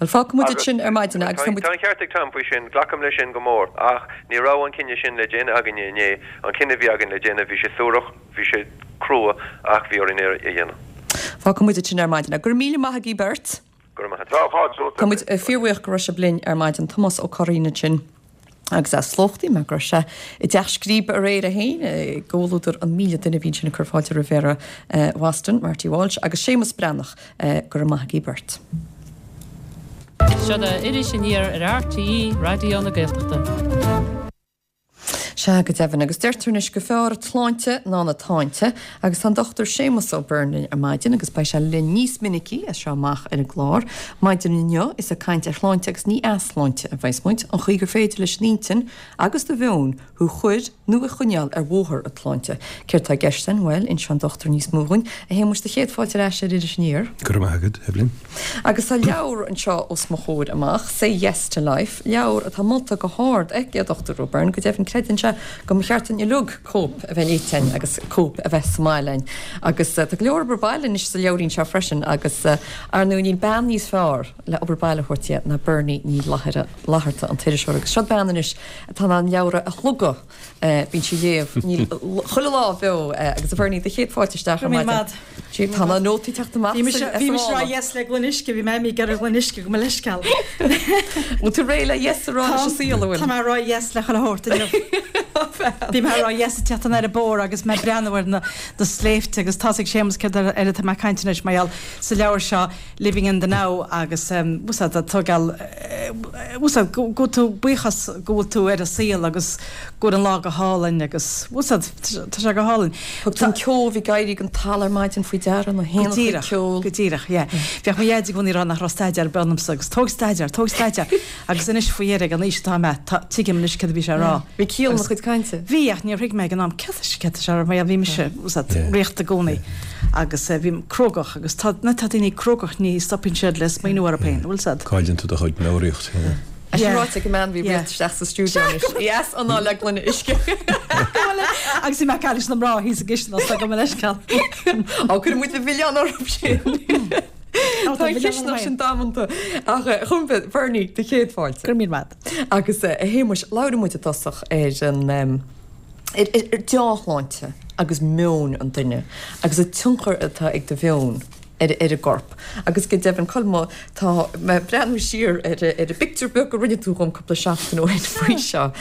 Bhuel, fágfaidh muid Agus. sin ar maidin agus tá muid. Tá an ceart ag Tom faoi sin, glacaim leis sin go mór, ach ní raibh an cinneadh sin le déanamh againne inné, an cinneadh a bhí againn le déanamh, bhí sé suarach, bhí sé crua, ach bhí orainn é a dhéanamh. Fágfaidh muid sin ar maidin. Go raibh míle maith agaibh beirt. Go raibh maith agat. Tá fáilte romhat. Tá muid fíorbhuíoch go raibh sibh linn ar maidin. Tomás Ó Curraoin ansin agus as Slochtaí mar go raibh sé i dTeach Scríbe aréir é féin i gcomhluadar an míle duine a bhí ansin ag cur fáilte roimh Mhéara Bhoston, Marty Walsh, agus Séamus Breathnach. Go raibh maith agaibh beirt. Seo Iris Aniar ar RTÉ Raidió na Gaeltachta. Sea, go deimhin, agus deirtear anois gur fearr an tsláinte ná na táinte, agus tá an Dochtúir Séamus Ó Beirn linn ar maidin agus beidh sé linn níos minicí as seo amach ar an gclár. Maidin inniu is ag caint ar shláinte agus ní easláinte a bheas muid, an chaoi gur féidir leis an intinn agus do mheon thú a chur nó a choinneáil ar bhóthar an tsláinte. Céard tá i gceist againn? Bhuel, inseoidh an dochtúir níos mó dhúinn. A Shéamuis, do chéad fáilte ar ais ar Iris Aniar. Go raibh maith agat, Evelyn. Agus tá leabhar anseo os mo chomhair amach, Say Yes to Life, leabhar atá molta go hard ag an Dochtúir Ó Beirn, go deimhin creideann sé sé go mba cheart dúinn uilig cóip a bheith léite againn agus cóip a bheith sa mbaile againn. Agus tá go leor obair baile anois sa leabhairín seo freisin agus ar ndóigh níl bean níos fearr le obair baile a thabhairt di ná Bernie Ní Fhlatharta an t-iriseoir agus seo bean anois atá in ann leabhra a shlogadh bíonn sí ag léamh níl chuile lá beo agus a Bhernie do chéad fáilte isteach ar maidin. Tá na nótaí teacht amach Bhí mise bhí mise rá yes le gloine uisce, bhí mé ag iarraidh gloine uisce go mo leithscéal. Bhfuil tú réidh le yes a rá leis an saol, an bhfuil? Tá mé ag rá yes le chuile shórt inniu. Bhí mé ag rá yes ag teacht anoir an bóthar agus mé ag breathnú ar na na sléibhte agus tá's ag Séamus céard ar ar atá mé ag caint anois mar gheall sa leabhar seo Living in the Now agus bhfuil a tógáil bhfuil go bhfuil tú buíochas go bhfuil tú ar an saol agus go bhfuil an lá go hálainn agus bhfuil tá sé go hálainn. Thug tú an ceo a bhí ag éirí den talamh ar maidin faoi deara na Go héanacha díreach, ceol. go díreach, yeah. Bheadh mo dhaid i gcónaí ag rá nach raibh staidéar ar bith ionamsa agus tóg staidéar, tóg staidéar agus anois faoi dheireadh ag an aois atá mé, tá, tuigim anois céard a bhí sé a rá. Bhí ciall ina Agus chuid cainte. bhí ach níor thuig mé ag an am céard tá céard tá sé a rá mar bhí mise Yeah. riachta i gcónaí agus eh, bhí crógach agus tá na tá daoine crógach ní stopann siad le smaoineamh orthu féin, bhfuil siad? Cailleann tú do chuid meabhraíocht. yeah. É sin Yeah. ráite ag an mbean bhí Yeah. rialta isteach sa stiúideo anois. Yes, anáil le gloine uisce. Agus bhí mé ag caint leis na mná thíos i gcistin as go leithscéal. Á cuir muid le milleán orthu sin. Tá an chisteanach sin damanta ach chum Bernie do chéad fáilte. Gur míle maith. Agus a Shéamuis labhair muid i dtosach ar an um, ar ar dea-shláinte agus meon an duine agus an tionchar atá ag do mheon ar ar an gcorp. Agus go deimhin colmá tá mé breathnú siar ar ar an bpictiúr beag a rinne tú dhom cúpla seachtain ó shin faoi seo.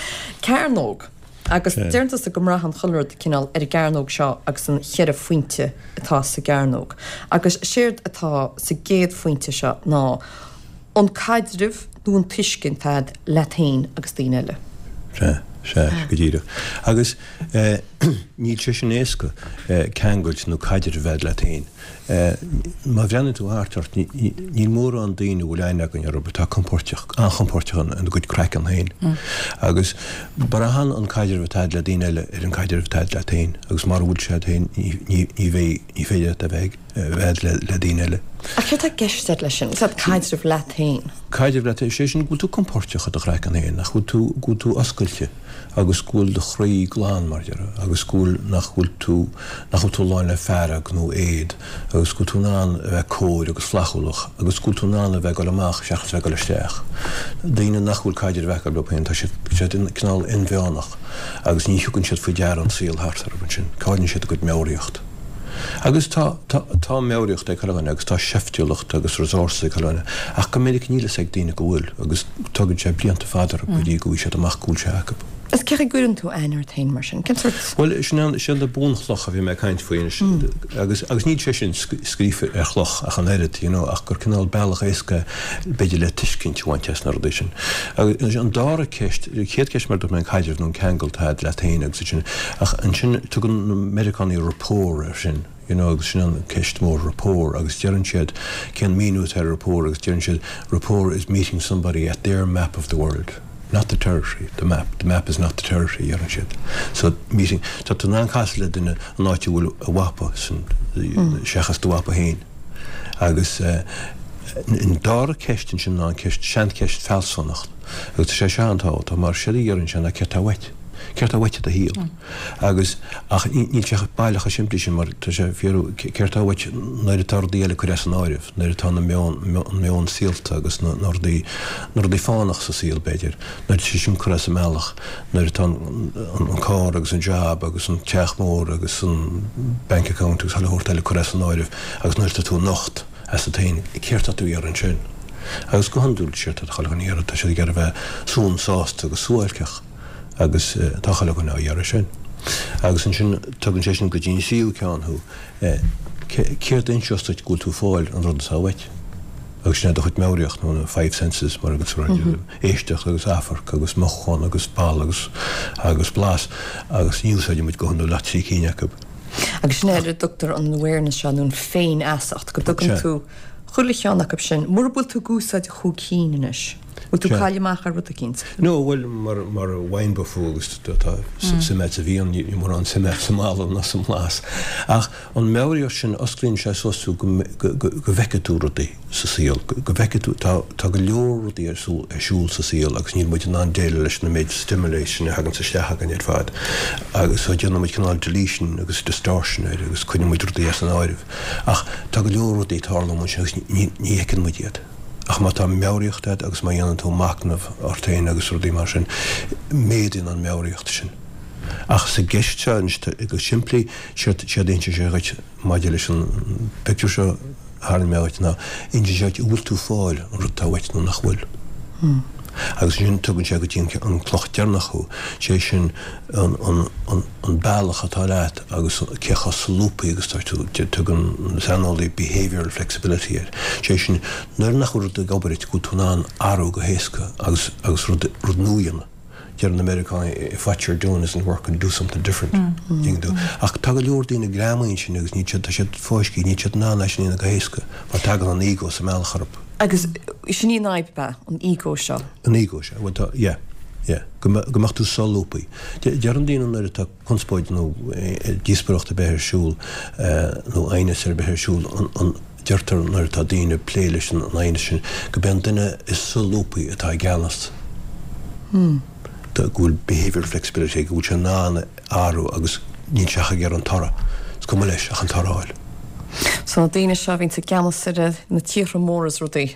Cearnóg. Agus Yeah. deireann tusa go mbraitheann chuile rud cineál ar an gcearnóg seo agus an cheithre phointe atá sa gcearnóg. Agus séard atá sa gcéad phointe seo ná an caidreamh nó an tuiscint atá leat féin agus daoine eile. Se, se, go díreach. Agus eh, níl sé sin éasca eh, ceangailt nó caidreamh bheith leat féin. Eh, má bhreathnaíonn tú thart ort ní- ní- níl mórán daoine bhfuil aithne againn orthu atá compordach an-chompordach an ina gcuid craiceann féin. Agus braitheann an caidreamh atá le daoine eile ar an caidreamh atá leat féin, agus mura bhfuil sé féin ní ní ní bheidh ní féidir leat a bheith bheith le le daoine eile. Ach céard atá i gceist leis sin, Is caidreamh leat féin. Caidreamh leat sé sin go bhfuil tú compordach i do chraiceann féin, nach bhfuil tú go bhfuil tú oscailte agus go bhfuil do chroí glan mar deireadh, agus go bhfuil nach bhfuil tú nach bhfuil tú lán le fearg nó éad, agus go bhfuil tú in ann a bheith cóir agus flaithiúlach, agus go bhfuil tú in ann a bheith ag dul amach seachas bheith ag dul isteach. Daoine nach bhfuil caidreamh acu leo féin tá siad siad cineál inmheánach agus ní thugann siad faoi deara an saol thart orthu ansin, cailleann siad a gcuid meabhraíocht. Agus tá tá tá meabhraíocht ag chuile dhuine agus tá seiftiúlacht agus resources ag chuile dhuine, ach go minic níl a fhios ag daoine go bhfuil agus tugann sé blianta fada go dtí go bhfuil siad amach go bhfuil sé acu. Is cé gcuireann tú aithne ort féin mar sin, cén sórt Well sin an sin na bunchlocha a bhí mé ag caint faoi anois agus agus níl sé sin scríofa ar chloch ach an oiread, you know, ach gur cineál bealach éasca b'fhéidir le tuiscint a bhaint as na rudaí sin. Agus an dara ceist, chéad ceist mar dúirt mé an caidreamh nó an ceangal atá leat féin agus sin ach ansin tugann na Meiriceánaigh rapport air sin. You know, agus sin an ceist mór rapport agus deireann siad cén míniú ar rapport agus deireann siad rapport is meeting somebody at their map of the world. Not the territory, the map. The map is not the territory, deireann siad. So meeting tá tú in ann casadh le duine an áit a bhfuil a mhapa sin seachas do mhapa féin. Agus uh, an dara ceist sin ná an ceist seancheist fealsúnacht. Agus tá sé seo an-tábhachtach mar sé a deireann sé ná céard atá uait. Céard atá uait i do shaol. Agus ach níl sé baileach simplí sin mar tá sé fíor céard atá uait nuair atá rudaí eile curtha san áireamh, nuair atá na meon an meon saolta agus na rudaí na rudaí fánach sa saol b'fhéidir, nuair sé sin curtha sa mbealach, nuair atá an carr agus an job agus an teach mór agus an bank account agus chuile shórt eile curtha san áireamh agus nuair atá tú nocht as a tain céard atá tú ag iarraidh ansin. Agus go hiondúil séard atá chuile dhuine ag iarraidh tá siad ag iarraidh bheith sona sásta agus suáilceach agus tá chuile dhuine á iarraidh sin. Agus ansin tugann sé sin go dtí an tríú ceann thú céard a inseos duit go bhfuil tú ag fáil an rud atá uait. Agus sin é do chuid meabhraíocht nó na five senses mar agus éisteacht agus amharc agus mothúchán agus bail agus agus blas agus ní úsáidimid go hiondúil ach trí cinn acu. Agus sin é a dtugtar an awareness seo nó an féinfheasacht go dtugann tú chuile cheann acu sin, mura bhfuil tú ag úsáid chúig cinn anois. Bhfuil tú caillte amach ar rud eicínt? No, bhuel, mar mar wine buff agus tá suim sa bhfíon, níl mórán suime sa mboladh ná sa mblas. Ach an meabhraíocht sin, osclaíonn sé suas tú go go bhfeicfidh tú rudaí sa saol, go bhfeicfidh tú, tá tá go leor rudaí ar siúl ar siúl sa saol agus níl muid in ann déileáil leis na méid stimuli sin a thaganns isteach againn ar fad. Agus so déanann muid cineál deletion agus distortion air agus cuireann muid rudaí as an áireamh. Ach tá go leor rudaí ag tarlú amuigh ansin agus ní ní fheiceann muid iad. Ach má tá meabhraíocht agat agus má dhéanann tú machnamh ort féin agus rudaí mar sin, méadaíonn an meabhraíocht sin. Ach sa gceist seo anois, go simplí, séard a insíonn sé dhuit maidir leis an bpictiúr seo a tharraing mé dhuit ná, insíonn sé dhuit an bhfuil tú ag fáil an rud atá uait nó nach bhfuil. Agus ansin tugann sé go dtí an cloch deireanach thú, sé sin an, an, an, an bealach atá leat agus cé chomh solúbtha agus atá tú, tugann an saineolaí behavioural flexibility air, sé sin nuair nach bhfuil rud ag obair duit go bhfuil tú in ann athrú go héasca agus agus rud rud nua a dhéanamh. Deir na Meiriceánaigh if what you're doing isn't working, do something different. Tuigeann tú? Ach tá go leor daoine greamaithe ansin agus níl siad, tá siad fáiscthe, níl siad in ann é sin a dhéanamh go héasca mar tagann an ego sa mbealach orthu. Agus sin í an fhadhb, ab ea? An ego seo? An ego seo, bhuel tá, yeah. Yeah, go mbeadh tú solúbtha. Deireann daoine nuair atá conspóid nó díospóireacht ar bith ar siúl nó aighneas ar bith ar siúl, an, deirtear nuair atá daoine ag plé leis an aighneas sin, go b'é an duine is solúbthaí atá i gceannas. Go bhfuil behavioural flexibility aige, go bhfuil sé in ann athrú agus níl sé ach ag iarraidh an toradh. Is cuma leis ach an toradh a fháil. So na daoine seo a bhíonns i gceannas ar na tíortha móra is rudaí.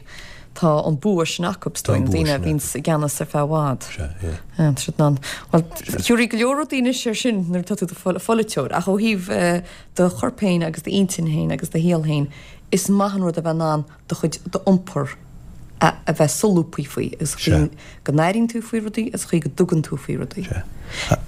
Tá an bua sin acu, is dóigh, na daoine a bhíonns i gceannas ar feadh i bhfad. Sea, yeah. Tá siad in ann. Bhuel, thiúrfaidh go leor rudaí anois air sin nuair atá tú i do pholaiteoir, ach ó thaobh do chorp féin agus d'intinn féin agus do shaol féin, is maith an rud a bheith in ann do chuid d'iompar a bheith solúbtha faoi, agus an chaoi go n-airíonn tú faoi rudaí agus an chaoi go dtugann tú faoi rudaí. Sea.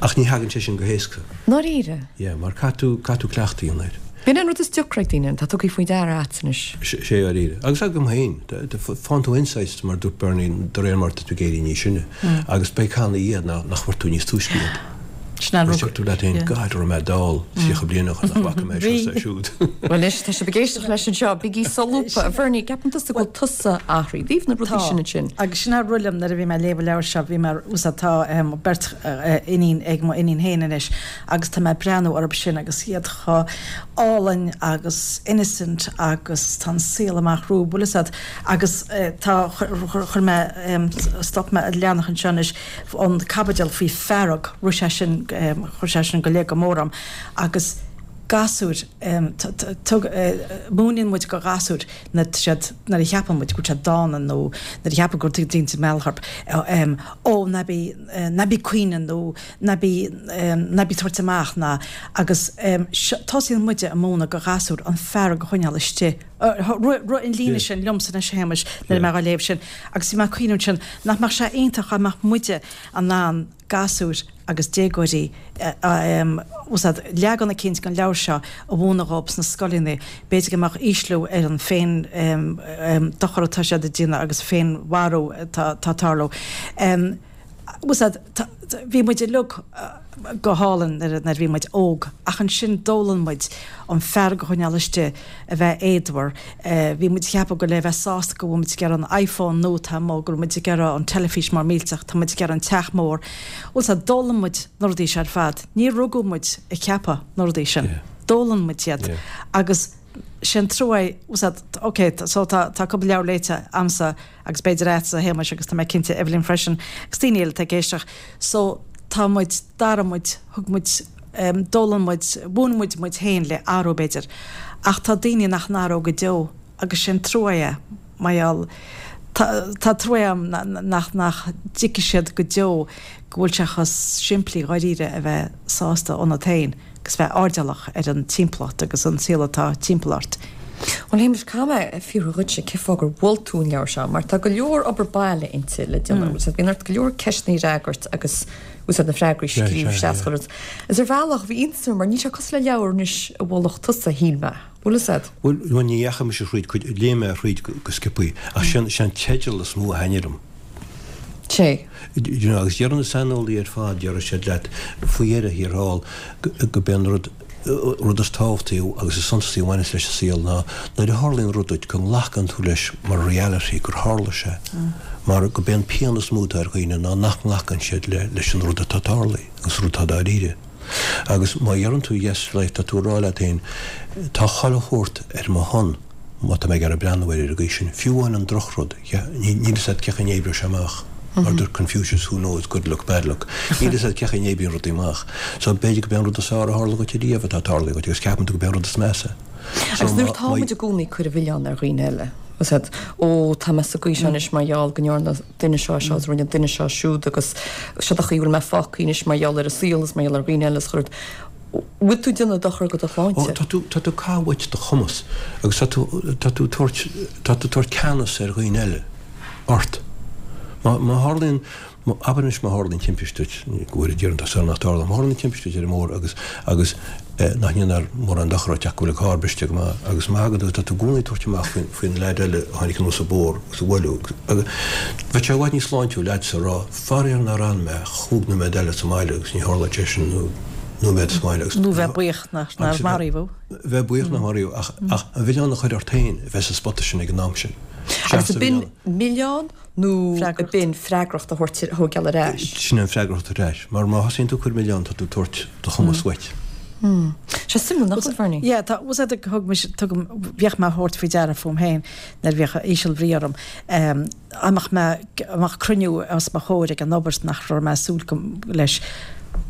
Ach ní thagann sé sin go héasca. Ndáiríre? Yeah, mar caithfidh tú, caithfidh tú cleachtadh a dhéanamh air. B'in an rud is deacra ag daoine, tá tugtha faoi deara agat anois. Sea, dáiríre. Agus agam féin. Faigheann tú insights, mar a dúirt Bernie, de réir mar atá tú ag éirí níos sine. Agus beidh canna iad nach bhfuair tú níos túisce iad. Sin an Agus rud. deir tú leat féin, God, raibh mé dall tríocha bliain ó shin nach bhfaca mé seo is siúd. Bhuel anois, tá sibh ag éisteacht leis anseo, bígí solúbtha. A Bhernie, ceapann tusa go bhfuil tusa athraithe i dtaobh na rudaí sin ansin? Agus sin a rith liom nuair a bhí mé ag léamh an leabhair seo, bhí mé, úsáid, tá beirt iníon ag mo iníon féin anois agus tá mé ag breathnú orthu sin agus iad chomh álainn agus innocent agus tá an saol amach rompu, bhfuil fhios a'd, agus tá, chuir mé, stop mé leathanach anseo anois, an caibidil faoi fearg, rith sé sin, chuir sé sin go léir go mór orm agus gasúir, tug, múineann muid go ghasúir nuair atá siad, nuair a cheapann muid go bhfuil siad dána nó nuair a cheapann go bhfuil daoine ag mealladh orthu, ó ná bí, ná bí ag caoineadh nó ná bí, ná bí ag tabhairt amach ná, agus tosaíonn muide ag múineadh go ghasúir an fearg a choinneáil istigh. Rith an líne sin liomsa anois a Shéamais nuair a bhí mé á léamh sin agus bhí mé ag cuimhneamh ansin nach mbeadh sé iontach dá mbeadh muide in ann gasúir agus déagóirí úsáid leagan eicínt den leabhar seo a mhúineadh dhóibh sna scoileanna. B'fhéidir go mbeadh ísliú ar an féin dochar atá siad ag déanamh agus féinmharú atá ag tarlú. Úsáid bhí muid uilig go hálainn nuair a bhí muid óg ach ansin d'fhoghlaim muid an fearg a choinneáil istigh, a bheith éadmhar. Bhí muid ag ceapadh go le bheith sásta go bhfuil muid ag iarraidh an iPhone nua atá amuigh, go bhfuil muid ag iarraidh an teilifís mór millteach, tá muid ag iarraidh an teach mór. Bhfuil 's a'd, d'fhoghlaim muid na rudaí seo ar fad. Níor rugadh muid ag ceapadh na rudaí sin. D'fhoghlaim muid iad agus sé an trua é, bhfuil 's a'd, ok, so tá tá cúpla leabhar léite a'msa agus b'fhéidir a'dsa a Shéamais agus tá mé cinnte Evelyn freisin agus daoine eile atá ag éisteacht. So tá muid, d'athraigh muid, thug muid, d'fhoghlaim muid, mhúin muid muid féin le athrú b'fhéidir. Ach tá daoine nach n-athróidh go deo agus sé an trua é mar gheall, tá tá trua a'm nach nach dtuigfidh siad go deo go bhfuil sé chomh simplí dháiríre a bheith sásta ionat féin agus bheith airdeallach ar an timpeallacht agus an saol atá timpeall ort. Bhuel, Shéamais, caithfidh mé fiafraí dhuitse cén fáth gur mhol tú an leabhar seo, mar tá go leor obair baile inti le déanamh, agus bíonn ort go leor ceisteanna a fhreagairt agus úsáid na freagraí a scríobh isteach chuile rud. Is ar bhealach, bhí iontas orm, mar níl sé cosúil le leabhar anois a mholfadh tusa, shíl mé. Bhfuil fhios a'd? Bhuel, bhuel, ní dheachaigh mise thríd cuid, léigh mé thríd go, go sciobthaí, ach sé an, sé an teideal is mó a thaitnigh liom. Sé. You know, agus deireann na saineolaí ar fad, déarfaidh siad leat, faoi dheireadh thiar thall, go, go b'é an rud, rud is tábhachtaí agus is suntasaí a bhaineas leis an saol ná nuair a tharlaíonn rud duit go nglacann tú leis mar reality gur tharla sé. Mar go b'é an pian is mó atá ar dhaoine ná nach nglacann siad le leis an rud atá tarlaithe agus rud atá dáiríre. Agus má dheireann tú yes to life tá tú ag rá leat féin tá chuile shórt ar mo shon má tá mé ag iarraidh breathnú air ar an gcaoi sin. Fiú amháin an drochrud, níl fhios agat cé chaoi a n-oibreoidh sé amach. Mar dúirt Confucius, who knows, good luck, bad luck. Níl fhios agat cé chaoi a n-oibríonn rudaí amach. So b'fhéidir go b'é an rud is fearr a tharla duit ariamh atá tarlaithe duit agus ceapann tú go b'é an rud is measa. So Agus nuair atá muid i gcónaí ag cur an mhilleáin ar dhaoine eile, is ea, ó tá mé sa gcaoi seo anois mar gheall go ndearna duine seo seo agus rinne duine seo siúd agus seo an chaoi a bhfuil mé fágtha anois mar gheall ar an saol is mar gheall ar dhaoine eile is chuir bhfuil tú ag déanamh dochar go do shláinte. Ó tá tú tá tú ag caitheamh uait do chumas agus tá tú tá tú tabhairt tá tú tabhairt ceannas ar dhaoine eile ort. Má má tharlaíonn abair anois má tharlaíonn timpiste duit, go bhfóire Dia orainn tá súil nach dtarlóidh, má tharlaíonn timpiste duit ar an mbóthar agus agus nach ndéanfar mórán dochar duit ach go bhfuil an carr briste go maith agus má thagann tú tá tú i gcónaí ag tabhairt amach faoin faoin leaid eile a tháinig anuas an bóthar agus a bhuaileadh agus bheadh sé i bhfad níos sláintiúil leatsa a rá faraor nár fhan mé chúig nóiméad eile sa mbaile agus ní tharlódh sé sin nó nóiméad sa mbaile agus Nó bheith buíoch nach nár maraíodh thú. Bheith buíoch nach maraíodh ach ach an milleán a chur ort féin a bheith sa spota sin ag an am sin. Agus ab in milleán nó ab in freagracht a thabhairt a thógáil ar ais? Sin an freagracht ar ais. Mar má thosaíonn tú ag cur milleán tá tú ag tabhairt do chumas uait. Sé suimiúil nach bhfuil, Bernie? Yeah, tá, was that thug mise, tugaim, bhíodh mé a thabhairt faoi deara fúm féin nuair a bhíodh ísealbhrí orm, dá mbeadh mé, dá mbeadh cruinniú os mo chomhair ag an obair nach raibh mé ag súil leis,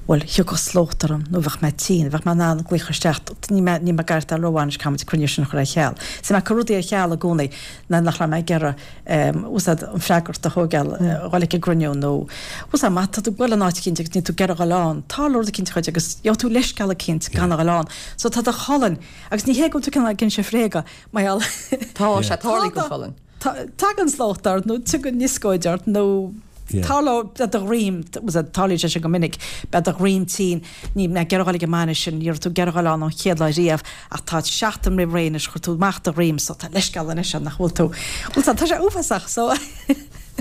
bhuel, thiocfadh slócht orm nó bheadh mé tinn, bheadh mé in ann glaoch isteach, níl mé, níl mé ag gaireachtáil rómhaith anois, caithfidh muid an cruinniú sin a chur ar ceal. So mé ag cur rudaí ar cheal i gcónaí nuair nach raibh mé ag iarraidh, bhfuil fhios an freagracht a thógáil, dhul ag an gcruinniú nó, bhfuil fhios má tá tú ag dul in áit eicínt agus níl tú ag iarraidh dhul ann, tarlóidh rud eicínt dhuit agus gheobhaidh tú leithscéal eicínt gan a dhul ann. So tá do cholainn, agus ní hé go bhfuil tú cineál ag inse bréaga, mar gheall. Tá sé tarlaithe don cholainn. Tagann slócht ort nó tagann nioscóid ort nó tarlóidh beidh do dhroim, tarlaíonn sé sin go minic, beidh do dhroim tinn, níl mé ag iarraidh dhul ag an mbainis sin, ní raibh tú ag iarraidh dhul ann ón chéad lá riamh ach tá seachtain roimh ré anois, chuir tú amach do dhroim so tá leithscéal anois ann nach bhfuil tú, bhfuil tá sé uafásach so.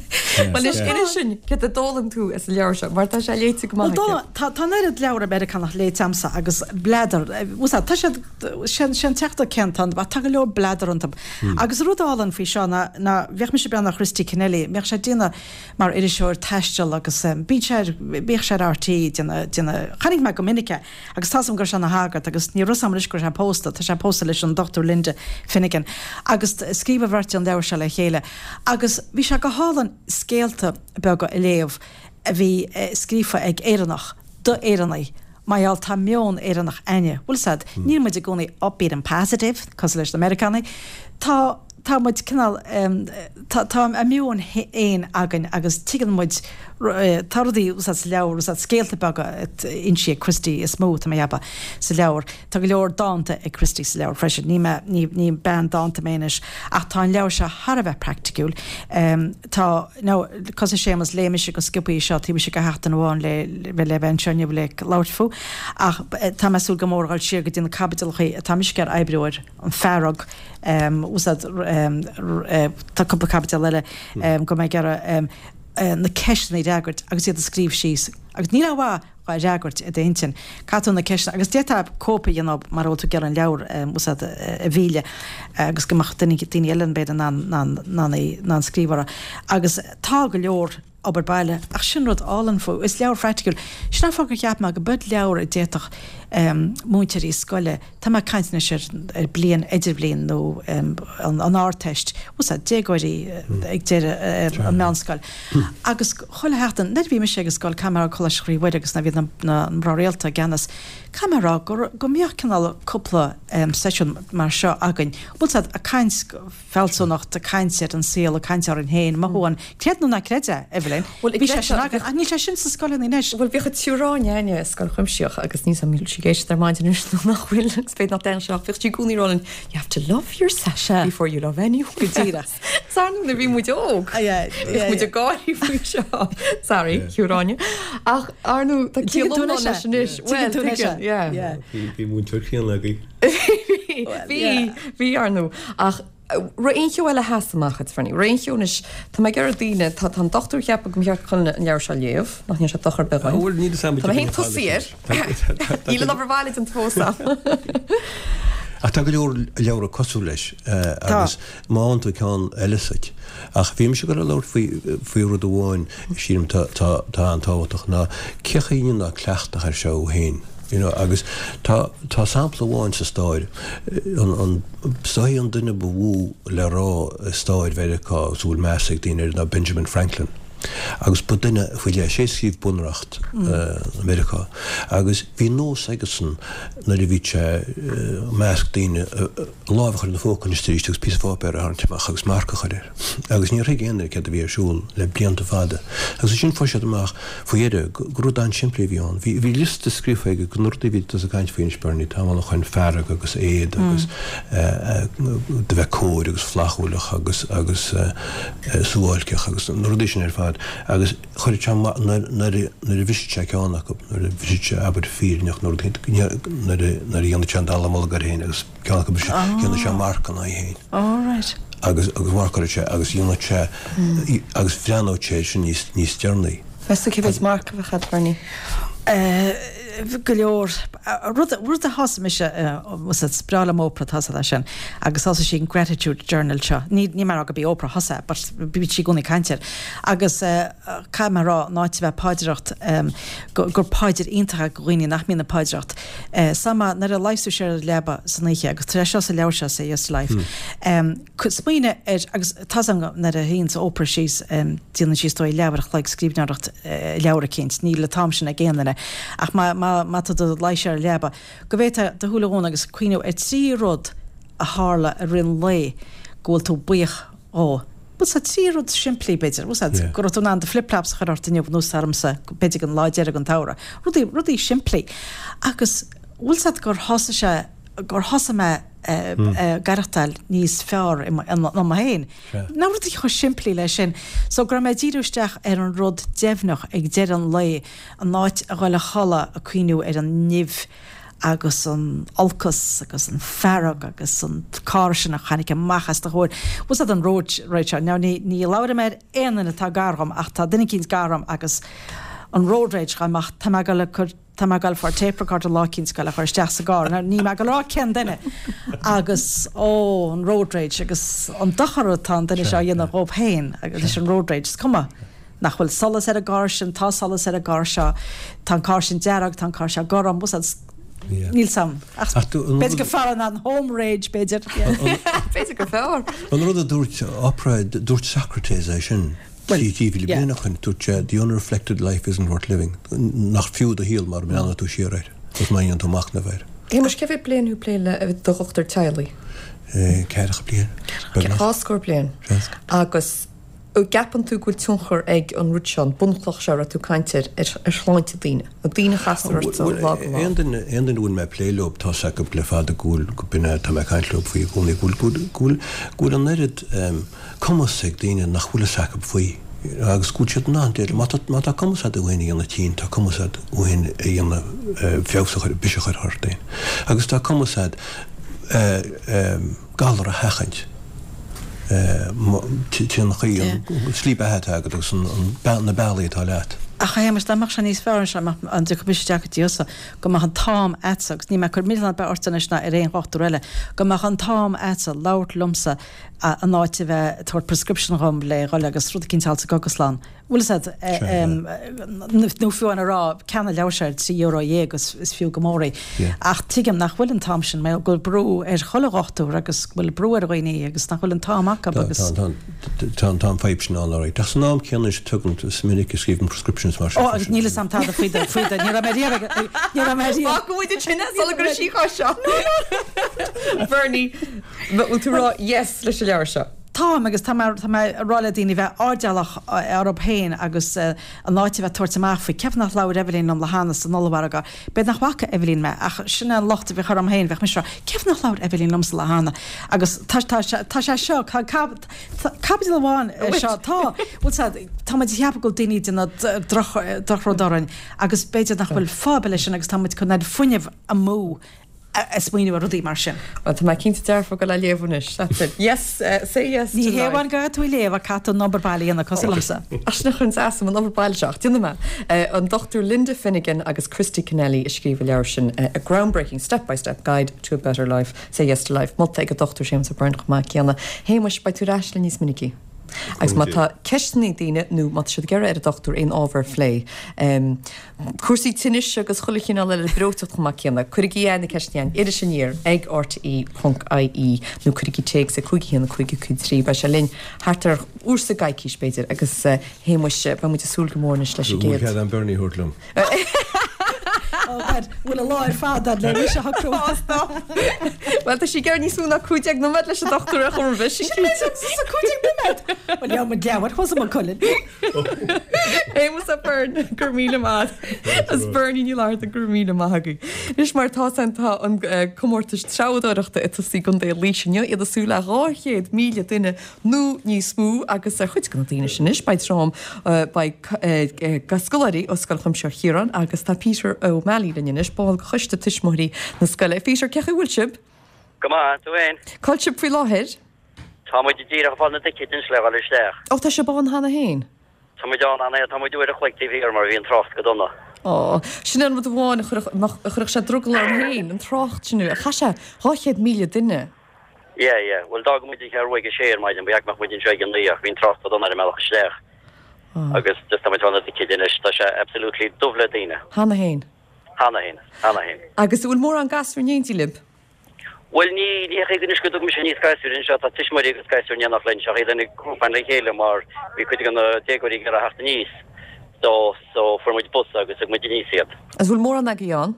Bhuel anois inis dúinn céard a d'fhoghlaim tú as an leabhar seo mar tá sé léite go maith aige. Tá tá an oiread leabhar Meiriceánach léite a'msa agus bladar, bhfuil fhios a'd, tá siad, sé an teachtaireacht céanna atá iontu ach tá go leor bladar iontu. Agus an rud álainn faoi seo ná ná bhíodh mise ag breathnú ar Christy Kennelly, bhíodh sé ag déanamh mar iriseoir taistil agus bíonn sé ar, bhíodh sé ar RTÉ ag déanamh, déanamh, chonaic mé go minic é agus tá's a'm go raibh sé ina shagart agus ní raibh 'fhios a'm anois go raibh sé pósta, tá sé pósta leis an Dochtúir Linda Finnegan agus scríobh an bheirt an leabhar seo le chéile agus bhí sé go hálainn scéalta beaga a léamh a bhí scríofa ag Éireannach do Éireannaigh mar gheall tá meon Éireannach a'inne, bhfuil 'fhios a'd, níl muid i gcónaí upbeat and positive cosúil leis na Meiriceánaigh, tá, tá muid cineál, tá, tá a meon fhéin againn agus tuigeann muid, tá rudaí, bhfuil 'fhios a'd, sa leabhar, bhfuil 'fhios a'd, scéalta beaga insithe ag Christy is mó, tá mé a cheapadh, sa leabhar. Tá go leor dánta ag Christy sa leabhar freisin. Ní mé, ní, ní bean dánta mé anois ach tá an leabhar seo thar a bheith praiticiúil. Tá, now, cosúil Séamus, léigh mise go sciobtha seo taobh istigh de sheachtain amháin le, le bheith anseo inniu le labhairt fúthu ach tá mé ag súil go mór a dhul siar go dtí na caibidealachaí atá mise ag iarraidh oibriú air, an fearg, úsáid, tá cúpla caibideal eile go mbeidh ag iarraidh na ceisteanna a fhreagairt agus iad a scríobh síos agus níl aon mhaith dhá fhreagairt i d'intinn. Caithfidh tú na ceisteanna, agus d'fhéadfá cóip a dhéanamh mara bhfuil tú ag iarraidh an leabhar úsáid a mhilleadh agus go mbeadh daoine daoine eile b'fhéidir in ann in ann in ann scríobh orthu. Agus tá go leor obair baile ach sin rud álainn fúthu. Is leabhar phraiticiúil. Sin an fáth gur cheap mé go b'eod leabhar a d'fhéadfadh múinteoirí scoile, tá mé ag caint anois ar ar bliain idirbhliain nó an an Ardteist, úsáid, déagóirí ag deireadh an meánscoil. Agus chuile sheachtain, nuair a bhí mise ag an scoil, caithfidh mé a rá, Coláiste Chroí Mhuire agus nuair a bhí na na mná rialta i gceannas, caithfidh mé a rá go go mbíodh cineál cúpla seisiún mar seo againn, bhfuil 's a'd, ag caint fealsúnacht, ag caint ar an saol, ag caint orainn féin, mothúcháin, creid nó ná creid é, Evelyn, Bhuel, bhí sé sin againn, ach níl sé sin sna scoileanna anois. Bhuel, bhíodh an tSiúr Áine a'inne i scoil chuimsitheach agus níl 's a'm an bhfuil sí ag éisteacht ar maidin anois nó nach bhfuil agus b'fhéidir nach dtearn sí ach bhíodh sí i gcónaí ag rá linn, you have to love yourself Sea. before you love anyone Go díreach. else. Ar ndóigh nuair a bhí muid óg, Yeah, yeah, bhíodh muid yeah. ag gáirí faoi seo. Sorry, Shiúr Áine. Ach ar ndóigh, tá Tuigeann ciall tú iomlán anois leis é. anois. Tuigeann Bhuel, tú anois é. tuigeann, yeah. Yeah. Bhí bhí múinteoir críonna againn. Bhí, bhí, ar ndóigh. Ach Raibh aon cheo eile a sheas amach duit, Bernie? Raibh aon cheo anois, tá mé ag iarraidh daoine, tá tá an dochtúir ag ceapadh go mba cheart chuile dhuine an leabhar seo a léamh, nach ndéanfaidh sé dochar ar bith dhúinn. Bhuel, níl fhios a'm Tá mé féin tosaithe air. Níl an obair bhaile déanta fós a'm. Ach tá go leor leabhra cosúil leis agus má fhaigheann tú ceann eile suit. Ach bhí mise ag dul a labhairt faoi faoi rud amháin sílim tá tá tá an-tábhachtach ná cén chaoi a ndéanfá cleachtadh air seo féin you know agus tá tá sampla amháin sa stair an an is dóichí an duine ba mhó le rá i stair Mheiriceá agus a bhfuil meas ag daoine air ná Benjamin Franklin. Agus ba duine faoi leith, sé a scríobh Bunreacht Mheiriceá, agus bhí nós aigesan nuair a bhí sé i measc daoine lámh a chur ina phóca anois arís agus píosa pháipéir a tharraingt amach agus marc a chur air. Agus níor thuig aon duine céard a bhí ar siúl le blianta fada. Agus ansin fuair siad amach faoi dheireadh gur rud an-simplí a bhí ann. Bhí liosta scríofa aige de na rudaí a bhí tusa ag caint faoi anois, Bernie, tamall ó shoin, fearg agus éad agus do bheith cóir agus flaithiúlach agus agus suáilceach agus na rudaí sin ar fad agus chuireadh sé nuair nuair nuair a bhriseadh sé ceann acu, nuair a bhriseadh sé abair fírinneach nó rud éigin, nuair a nuair a dhéanadh sé an dallamullóg air féin agus ceann acu briseadh, dhéanadh sé marc ina aghaidh féin. All right. Agus agus mharcáileadh sé agus dhéanadh sé agus bhreathnódh sé air sin níos níos deireanaí. Meas tú cé mhéid marc a bheadh agat, Bernie? Go leor. Rud rud a thosaigh mise, is breá liom Oprah, tá a fhios agat é sin, agus thosaigh sí an gratitude journal seo. Ní ní mar gurb í Oprah a thosaigh é, but bíonn sí i gcónaí ag caint air. Agus caithfidh mé a rá, in áit a bheith ag paidreacht, gur paidir iontach é do dhaoine nach mbíonn ag paidreacht. Sa nuair a luíos tú siar ar an leaba san oíche, agus tá sé seo sa leabhar seo, Say Yes to Life, smaoinigh ar, agus tá a fhios agam nuair a shuíonns Oprah síos, déanann sí is dóigh leathuair a chloig scríbhneoireacht leabhar eicínt, níl an t-am sin ag aon duine, ach má, má, má tá tú i do luí siar ar an leaba, go bhféadfá do shúile a dhúnadh agus cuimhneamh ar trí rud a tharla i rith an lae go bhfuil tú buíoch dhó. Bhuel, sea, trí rud simplí, b'fhéidir. Bhuel, sea, go raibh tú in ann do flip-flops a chur ort inniu, nós ormsa, b'fhéidir don lá deiridh den tsamhradh. Rudaí, rudaí simplí. Agus, bhfuil 's agat gur thosaigh sé, gur thosaigh mé ag aireachtáil níos fearr ionam féin. Ná rudaí chomh simplí leis sin. So go raibh mé ag díriú isteach ar an rud deimhneach ag deireadh an lae, in áit a dhul a chodladh ag cuimhniú ar an nimh agus an olcas agus an fearg agus an carr sin a tháinig amach as do chomhair. Bhfuil 's agat an road rage seo. Now ní ní labhraím ar aon duine atá gar dhom ach tá duine eicínt gar dhom agus an road rage dá mbeadh tá mé ag dul a cur Tá mé ag dul ag fáil tape recorder lá eicínt ag dul a chur isteach sa gcarr. Now níl mé ag dul a rá cén duine agus ó an road rage agus an dochar atá an duine seo a dhéanamh dhóibh féin agus leis an road rage. Is cuma nach bhfuil solas ar an gcarr sin, tá solas ar an gcarr seo, tá an carr sin dearg, tá an carr seo gorm, bhfuil 's agat, níl 's a'm. Ach b'fhéidir gur fearr an home rage b'fhéidir. B'fhéidir gur fearr. An rud a dúirt Oprah, dúirt Socrates é sin. Trí mhíle bliain ó shin, dúirt sé, The unreflected life isn't worth living. Nach fiú do shaol mara mbreathnaíonn tú siar air agus má dhéanann tú machnamh air. Shéamuis, cé mhéad bliain thú ag plé le do dhochtúir teaghlaigh? Ceathracha bliain, beagnach. Dhá scór bliain. Agus an gceapann tú go bhfuil tionchar ag an rud seo, an bunchloch seo a raibh tú ag caint air, ar shláinte daoine? Na daoine a chastar ort ó lá go lá. Aon duine, aon duine a bhfuil mé ag plé leo, tá's acu le fada go bhfuil, go b'in é atá mé ag caint leo faoi i gcónaí, go bhfuil, go bhfuil, go bhfuil an oiread, cumas ag daoine nach bhfuil fhios acu faoi agus go bhfuil siad in ann déileáil. Má tá, má tá cumas agat thú féin a dhéanamh tinn, tá cumas agat thú féin a dhéanamh, feabhas a chur, biseach a chur ort féin. Agus tá cumas agat galar a sheachaint. Trín chaoi, an slí beatha atá agat agus an, na bealaí atá leat. Ach a Shéamais, dá mbeadh sé níos fearr anseo, an dtiocfadh mise isteach go dtí thusa, go mbeadh an t-am a'dsa, agus níl mé ag cur milleán ar bith ortsa anois ná ar aon dhochtúir eile, go mbeadh an t-am a'dsa labhairt liomsa in áit a bheith ag tabhairt prescription dhom le dhul agus rud eicínt a fháil sa gcógaslann. Bhfuil fhios a'd, nó fiú amháin a rá, ceannaigh an leabhar seo ar trí euro dhéag is is fiú go mór í. Ach tuigim nach bhfuil an t-am sin, mar go bhfuil brú ar chuile dhochtúir agus go bhfuil brú ar dhaoine agus nach bhfuil an t-am acu agus. Tá, tá, tá an fadhb sin ann alright. Ach san am céanna is tugann, is minic a scríobhaim prescriptions mar sin. Ó, agus níl fhios a'm tada faoi do, faoi do, ní raibh mé riamh ag, ní raibh mé riamh. Fágfaidh muid ansin é sula gcuirfidh sí chomh seo. Bernie, bhfuil tú ag rá yes leis an leabhar seo? Táim, agus tá mé, tá mé ag rá le daoine bheith airdeallach orthu féin agus in áit a bheith ag tabhairt amach faoi, cén fáth nach labhair Eibhlín liom lá cheana san ollmhargadh, b'fhéidir nach bhfaca Eibhlín mé, ach sin é an locht a bheadh orm féin, bheadh mise ag rá, cén fáth nach labhair Eibhlín liomsa lá cheana? Agus tá, tá sé, tá sé seo, tá caibidil amháin seo, tá, bhfuil 's a'd, tá muid ag ceapadh go bhfuil daoine ag déanamh droch, drochrud orainn agus b'fhéidir nach bhfuil fáth ar bith leis sin agus tá muid ag cur an oiread fuinnimh amú. ag smaoineamh ar rudaí mar sin. Bhuel, tá mé cinnte dearfa go le léamh anois. That's it. Yes, uh, say yes to life. Ní hé amháin go gcaithfidh tú léamh ach caithfidh tú an obair baile a dhéanamh cosúil liomsa. Ach sin a chuireann as dom an obair baile seo, ach déanfaidh mé. An Dochtúir Linda Finnegan agus Christy Kennelly a scríobh an leabhar sin, A Groundbreaking Step-by-Step Guide to a Better Life, Say Yes to Life, molta ag an Dochtúir Séamus O'Byrne chomh maith céanna. Shéamuis, beidh tú ar ais linn níos minicí. Agus má tá ceisteanna ag daoine nó má tá siad ag iarraidh ar an dochtúir aon ábhar a phlé, cúrsaí tinnis agus chuile chineál eile breoiteacht chomh maith céanna, cuirigí na ceisteanna chugainn, Iris Aniar ag R T E ponc I E nó cuirigí téacs ag cúig a haon cúig cúig trí. Beidh sé linn thart ar uair sa gcoicís b'fhéidir agus a Shéamuis, beidh muid ag súil go mór anois leis an gcéad. Bhfuil cead agam Bernie a thabhairt liom? Oh God, bhfuil an lá ar fad le mise a shocrú. Bhuel, tá sí ag iarraidh níos mó ná cúig déag nóiméad leis an dochtúir a chur roimhe, sin cinnte. Sa cúig déag nóiméad? Bhuel, leabhar mo leabhar, thuas i mo codladh. Séamus O'Byrne, go raibh míle maith. Agus Bernie Ní Fhlatharta, go raibh míle maith agaibh. Anois mar atá san tá an comórtas treabhdóireachta ag tosaí i gContae Laoise inniu, iad ag súil le dhá chéad míle duine nó níos mó agus ar chuid de na daoine sin anois beidh trom beidh scoláirí ó Scoil Chuimsitheach Chiaráin agus tá Peter O'Malley linn anois, ball de choiste tuismitheoirí na scoile. Peter, cén chaoi a bhfuil sibh? Go maith, tú féin? Cá bhfuil sibh faoi láthair? Tá muid díreach ag fáil na dticéid anois le dhul isteach. Ó, tá sibh ann cheana féin? Tá muid ann cheana, tá muid uair a chloig taobh thiar mar bhí an trácht go dona. Ó, sin an rud amháin a chuirfeadh, a chuirfeadh sé drogall orm féin, an trácht sin. Chaith sé dhá chéad míle duine. Yeah, yeah. Bhuel, d'fhág muid an Cheathrú Rua ag a sé ar maidin, ba cheart go mbeadh muid anseo ag a naoi ach bhí an trácht go dona ar an mbealach isteach. Agus just tá muid ag fáil na dticéid anois, tá sé absolutely dubh le daoine. Cheana féin? Cheana féin, cheana féin. Agus an bhfuil mórán gasúr in éindí libh? Bhuel, ní, ní hé anois go dtug mise aníos gasúir anseo, tá tuismitheoirí agus gasúir in éineacht linn, seo iad ina grúpa le chéile mar bhí cuid de na déagóirí ag iarraidh theacht aníos. So, so fuair muid bus agus thug muid aníos iad. Agus bhfuil mórán agaibh ann?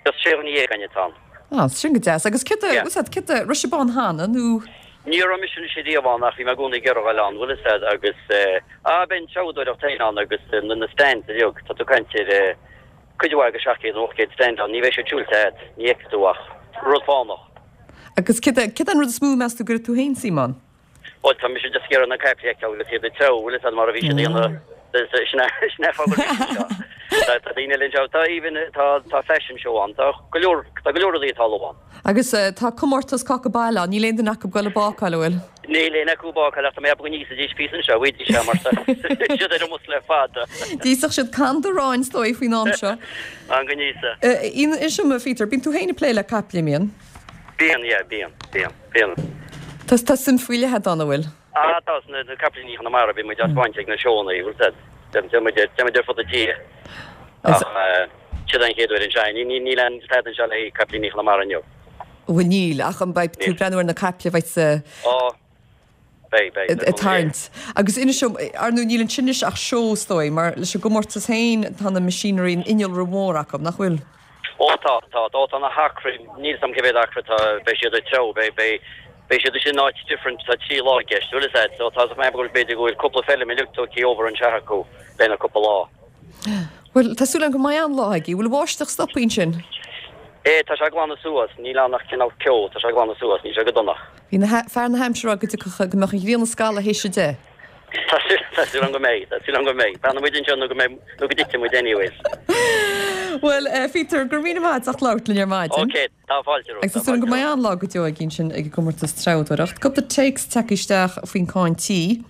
Just sé dhuine dhéag againn atá ann. Ah, sin go deas. Agus céard a, Yeah. what's that, céard a, raibh sibh ann cheana nó? Ní raibh mise anois riamh ann ach bhí mé i gcónaí ag iarraidh a dhul ann, bhfuil fhios a'd, agus eh, ah, beidh an treabhdóireacht féin ann agus eh, na, na stands uilig, tá tú ag caint ar eh, cuid mhaith de seacht gcéad nó ocht gcéad stand ann, ní bheidh siad siúilte a'd, ní fheicfidh tú ach rud fánach. Agus céard a, céard an rud is mó meas tú go gcuirfidh tú féin suim ann? Bhuel, tá mise just ag iarraidh na caiple a fheiceáil agus iad ag treabhadh, bhfuil fhios a'd, mar a bhí siad ag déanamh, sin é, sin é fáth go bhfuil mise anseo. Tá, tá daoine eile anseo, tá even, tá, tá fashion show ann, tá go leor, tá go leor rudaí ag tarlú ann. Agus eh, tá comórtas cáca baile ann, níl aon duine acu ag goil ag bácáil, an bhfuil? Níl aon acu ag bácáil ach tá mé ag ceapadh go n-íosfaidís píosa anseo, bhfaighidís é mar tá siad ar an mbus le fada. D'íosfadh siad can aráin is dóigh faoin am seo. An go n-íosa. Eh, Inis dom, a Pheter, bíonn tú féin ag plé le caiple, mbíonn? Bíonn, yeah, bíonn, bíonn, bíonn. Tá, tá suim faoi leith a'd ann, an bhfuil? Ah, tá, na, na capaillíní Chonamara, bíonn muid á spáint ag na seónna, bhfuil fhios a'd. Téann muid ar, téann muid ar fud na tíre. Ach, eh, siod an chéad uair anseo, ní, ní, níl aon stad anseo le capaillíní Chonamara inniu. Bhuel níl, ach an beidh tú Níl. breathnú ar na caiple bheidh sa Ó, beidh, beidh, ag tarraingt. Agus inis dom, ar ndóigh níl ansin anois ach seó is dóigh, mar leis an gcomórtas féin tá na machinery an innealra mór acu, nach bhfuil? Ó tá, tá, ó tá na hacraí, níl 'fhios a'm cé mhéad acra tá, beidh siad ag treabhadh, beidh, beidh, beidh siad sin in áit different, tá trí lá i gceist, bhfuil fhios a'd, so tá mé ag ceapadh b'fhéidir go bhfuil cúpla feilm uilig tugtha over anseo acu le na cúpla lá. Bhuel, tá súil agam go mbeidh an-lá agaibh, bhfuil báisteach stoptha ansin? É, tá sé ag glanadh suas, níl ann ach cineál ceo, tá sé ag glanadh suas, níl sé go dona. Bhí na fear na haimsire go dtiocfadh go mbeadh an ghrian ag scalladh théis a deich. Tá tá súil agam go mbeidh, tá súil agam go mbeidh. Fanfaidh muid anseo nó go mbeidh, nó go dtitfidh muid anyways. Bhuel, eh, Peter, go raibh míle maith as labhairt linn ar maidin. Ok, tá fáilte romhat. Agus tá súil agam go mbeidh an-lá go deo againn sin ag an gcomórtas treabhdóireacht. Cúpla téacs tagtha isteach faoin cáin tí.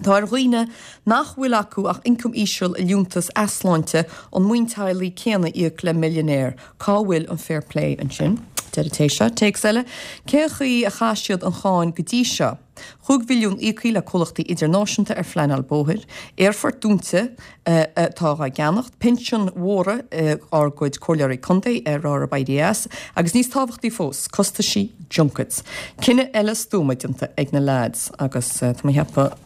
Tá ar dhaoine nach bhfuil acu ach ioncam íseal a liúntas easláinte an maoin teaghlaigh céanna íoc le millionaire. Cá bhfuil an fair play ansin? Deir an té seo, téacs eile, cén chaoi a chaith siad an cháin go dtí seo? Chúig mhilliún íoctha le comhlachtaí idirnáisiúnta ar phleanáil bóthair, aerfort dúnta atá á gceannacht, pinsin mhóra ár gcuid comhairleoirí contae ar ár éirí as, agus níos tábhachtaí fós, costaisí junkets. Cinneadh eile stuama déanta ag na lads agus tá mé ag ceapadh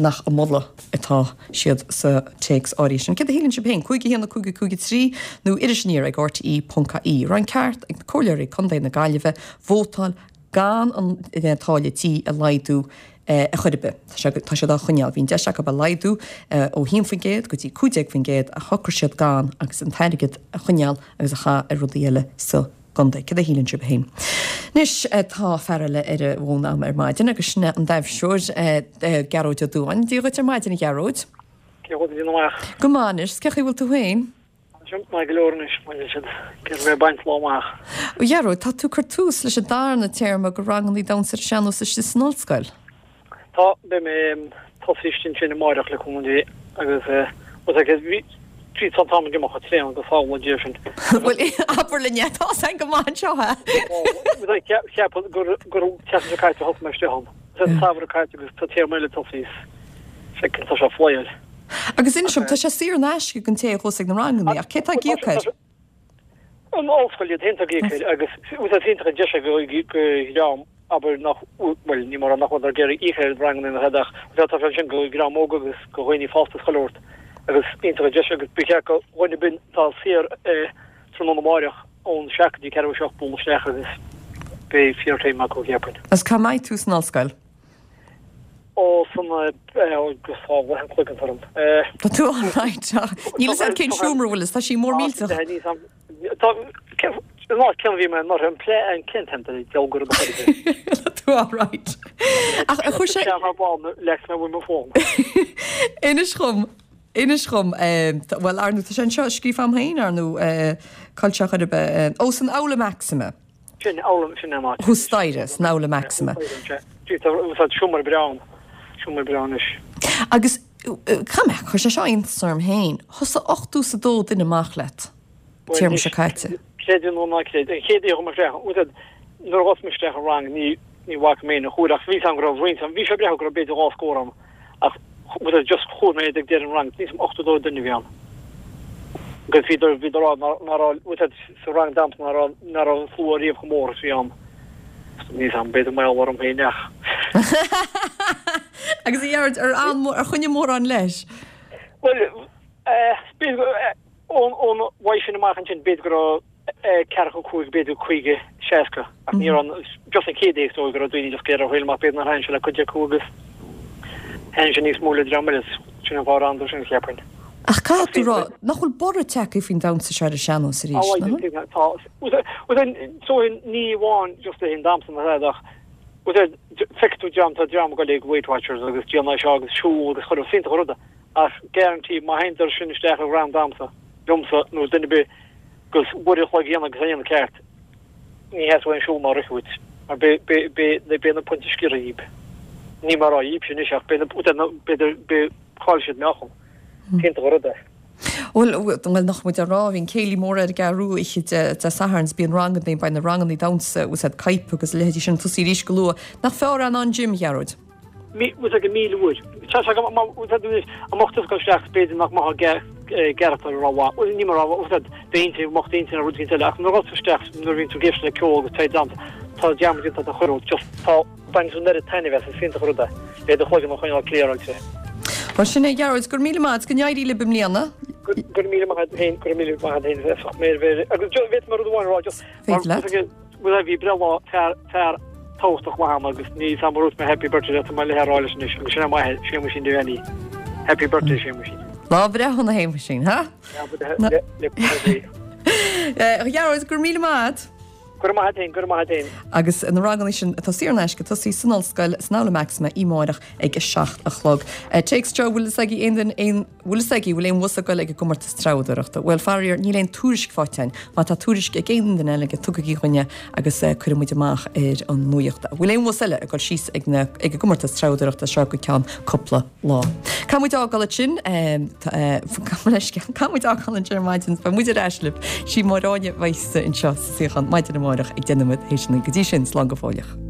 nach ag moladh atá siad sa téacs áirithe sin. Céard a shíleann sibh féin, cúig a haon a cúig a cúig a trí nó iris aniar ag R T E ponc I E. Raibh an ceart ag na comhairleoirí contae na Gaillimhe vótáil gan an táille tí a laghdú a chor ar bith. Tá siad á choinneáil. Bhí an deis acu a laghdú ó haon faoin gcéad go dtí cúig déag faoin gcéad ach shocraigh siad gan agus an t-airgead a choinneáil agus a chaitheamh ar rudaí eile sa gcontae. Céard a shíleann sibh féin. Anois tá fear eile ar an bhfón agam ar maidin agus sin é an taibhseoir Gearóid Ó Dúáin. Dia dhuit ar maidin a Ghearóid. Cé bhfuil amach? Go maith anois, cén chaoi a bhfuil tú féin? Maith go leor anois, bhfuil siad ag iarraidh bheith ag baint lá amach. A Ghearóid, tá tú ag cur tús leis an darna téarma de rangannaí damhsa ar an sean-nós istigh san ollscoil. Tá, beidh mé tosaí istigh ansin amáireach le cúnamh Dé agus bhí trí tá an t-am ag imeacht chomh tréan agus samhlaigh Dia sin. Bhuel, abair linn é, tá a fhios againn go maith anseo é. Cheapfainn gur gur an tseachtain seo caite a thosaigh mé istigh ann. Is an samhradh caite agus tá téarma eile tosaí is feicim tá sé ag flyáil. Agus inis dom, tá sé saor in aisce don té a chuas ag na rangannaí, ach cé tá ag íoc air? An ollscoil iad féin atá ag íoc air agus is iontach an deis é do dhream, abair, nach, bhuel, ní mar nach bhfuil ag iarraidh íoc ar rangannaí nó tada ach tá sé ansin do dhream óg agus do dhaoine fásta is chuile shórt agus iontach an deis agus ba cheart do dhuine ar bith atá saor tráthnóna amáireach ón seacht go dtí ceathrú a seacht bualadh isteach agus beidh fíor-time acu, cheapfainn. Agus cá mbeidh tú san ollscoil? Ó, san, agus tá leath an chloigeann orm. Tá tú alright. Níl fhios a'd cén seomra bhfuil fhios, tá sí mór millteach. Tá, an áit céanna a bhí mé anuraidh, an plé, an cén t-ainm do deabhal go raibh do chuid. Tá tú alright. Ach chuir sé. Sean bán leis mé bhfuil mo fón. Inis dhom, inis dhom, bhuel, ar ndú, tá sé anseo scríofa a'm féin, ar ndú, cá bhfuil sé chor ar bith, ó, san Aula Maxima. Sin Aula, sin an áit. Thuas staighre, san Aula Maxima. Tá seomra breá ann, seomra breá anois. Agus caithfidh mé, chuir sé seo iontas orm féin, thosaigh ochtó is a dó duine amach leat, téarma seo caite. Creid é nó ná creid, an chéad oíche a chuaigh mé isteach, bhuel, nuair a thosaigh mé isteach an rang, ní, ní bhfaca mé aon chuair ach bhí 'fhios a'm go raibh roinnt ann, bhí sé ag breathnú go raibh b'fhéidir dhá scór ann ach bhuel, just chuala mé iad ag deireadh an rang, níl 'fhios a'm ochtó dó duine a bhí ann. Agus bhíodar, bhíodar á rá ná raibh, bhuel, sa rang damhsa ná raibh, ná raibh an slua riamh chomh mór is a bhí ann. Níl 'fhios a'm, b'fhéidir mar gheall orm féin ach. Agus a Ghearóid, ar fhan, ar choinnigh mórán leis? Bhuel, eh, b'fhéidir go, eh, ón, ón uaidh sin amach ansin, b'fhéidir go raibh, ceathracha cúig, b'fhéidir caoga, seasca, ach ní raibh an, just an chéad oíche is dóigh go raibh daoine just ag iarraidh a thriail amach, b'fhéidir nár thaitin sé le cuid acu agus thaitin sé níos mó le dream eile, sin an fáth ar fhanadar sin, cheapfainn. Ach caithfidh tú rá nach bhfuil borradh tagtha faoin damhsa seo ar an sean-nós arís, nach bhfuil? Tá, bhuel, so ní amháin just le haghaidh an damhsa ná tada ach, bhuel, feicfidh tú dream, tá dream ag dul ag Weight Watchers agus déanamh seo agus siúl agus chuile, is iontach an rud é, ach guarantee má théann sin isteach i rang damhsa, liomsa nó duine ar bith, agus uair a chloig a dhéanamh agus é a dhéanamh ceart, ní theastóidh aon siúl ná rith uait, mar beidh na pointí sciorrtha dhíob. Ní mar á dhíobse anois ach beidh na, b'fhéidir, beidh, caillfidh siad meáchan. Iontach an rud é. Bhuel, bhuel, nach muid á rá, bhí an céilí mór ar an gCeathrú Rua oíche Dé Sathairn 's bíonn rangannaí, beidh na rangannaí damhsa, bhfuil 's a'd, caidhp agus a leithéidí sin ag tosaí arís go luath. Nach fearr é ná an gym, a Ghearóid? Bhfuil 's a'd míle uair. Tá sé go maith, bhfuil 's a'd anois, an mbeadh tusa ag dul isteach b'fhéidir nach mbeadh gcearachtar a raibh mhaith. Bhuel ní mar a bhfuil 's a'd d'intinn, mbeadh d'intinn ar rud éicint eile ach nuair a ghabhas tú isteach nuair a bhíonn tú ag éisteacht le ceol agus tá damhsa, tá dearmad déanta ort chuile rud, just tá, baineann tú an oiread taitnimh as, is iontach an rud é, le do chloigeann a choinneáil clearáilte. Bhuel sin é a Ghearóid, go raibh míle maith agat, go n-éirí libh i mbliana. Go raibh míle maith agat féin, go raibh míle maith agat féin, bheadh mé ar bheir, agus bhféadfadh mé rud amháin a rá just, Féidir leat. Bhuel bhí breithlá fear, fear tábhachtach maith ann agus níl 's a'm ar dhúirt mé happy birthday leat tá mé le a rá leis anois agus sin é m'athair, Séamuisín Devaney. Happy birthday Séamuisín. Lá breithe shona a Shéamuisín, ha? Lá breithe le le le. A Ghearóid, go raibh míle maith agat. Go raibh maith agat féin, go raibh maith agat féin. Agus na ranganna sin atá saor in aisce ag tosaí san ollscoil san Aula Maxima amáireach ag a seacht a chlog. Téacs seo, bhfuil fhios agaibh aon duine aon Bhfuil fhios agaibh, bhfuil aon bhus ag goil ag an gcomórtas treabhdóireachta? Bhuel, faraor, níl aon tuairisc faighte againn. Má tá tuairisc ag aon duine eile aige, tugaigí chugainn é agus cuirfidh muid amach ar an nuacht é. Bhfuil aon bhus eile ag goil síos ag na, ag an gcomórtas treabhdóireachta seo go ceann cúpla lá? Caithfidh muid fhágáil ansin, gabh mo leithscéal, caithfidh muid fhágáil ansin ar maidin, beidh muid ar ais libh. Sí Máire Áine a bheidh anseo sa suíochán maidin amárach ag deich nóiméad théis a naoi. Go dtí sin, slán go fóilleach.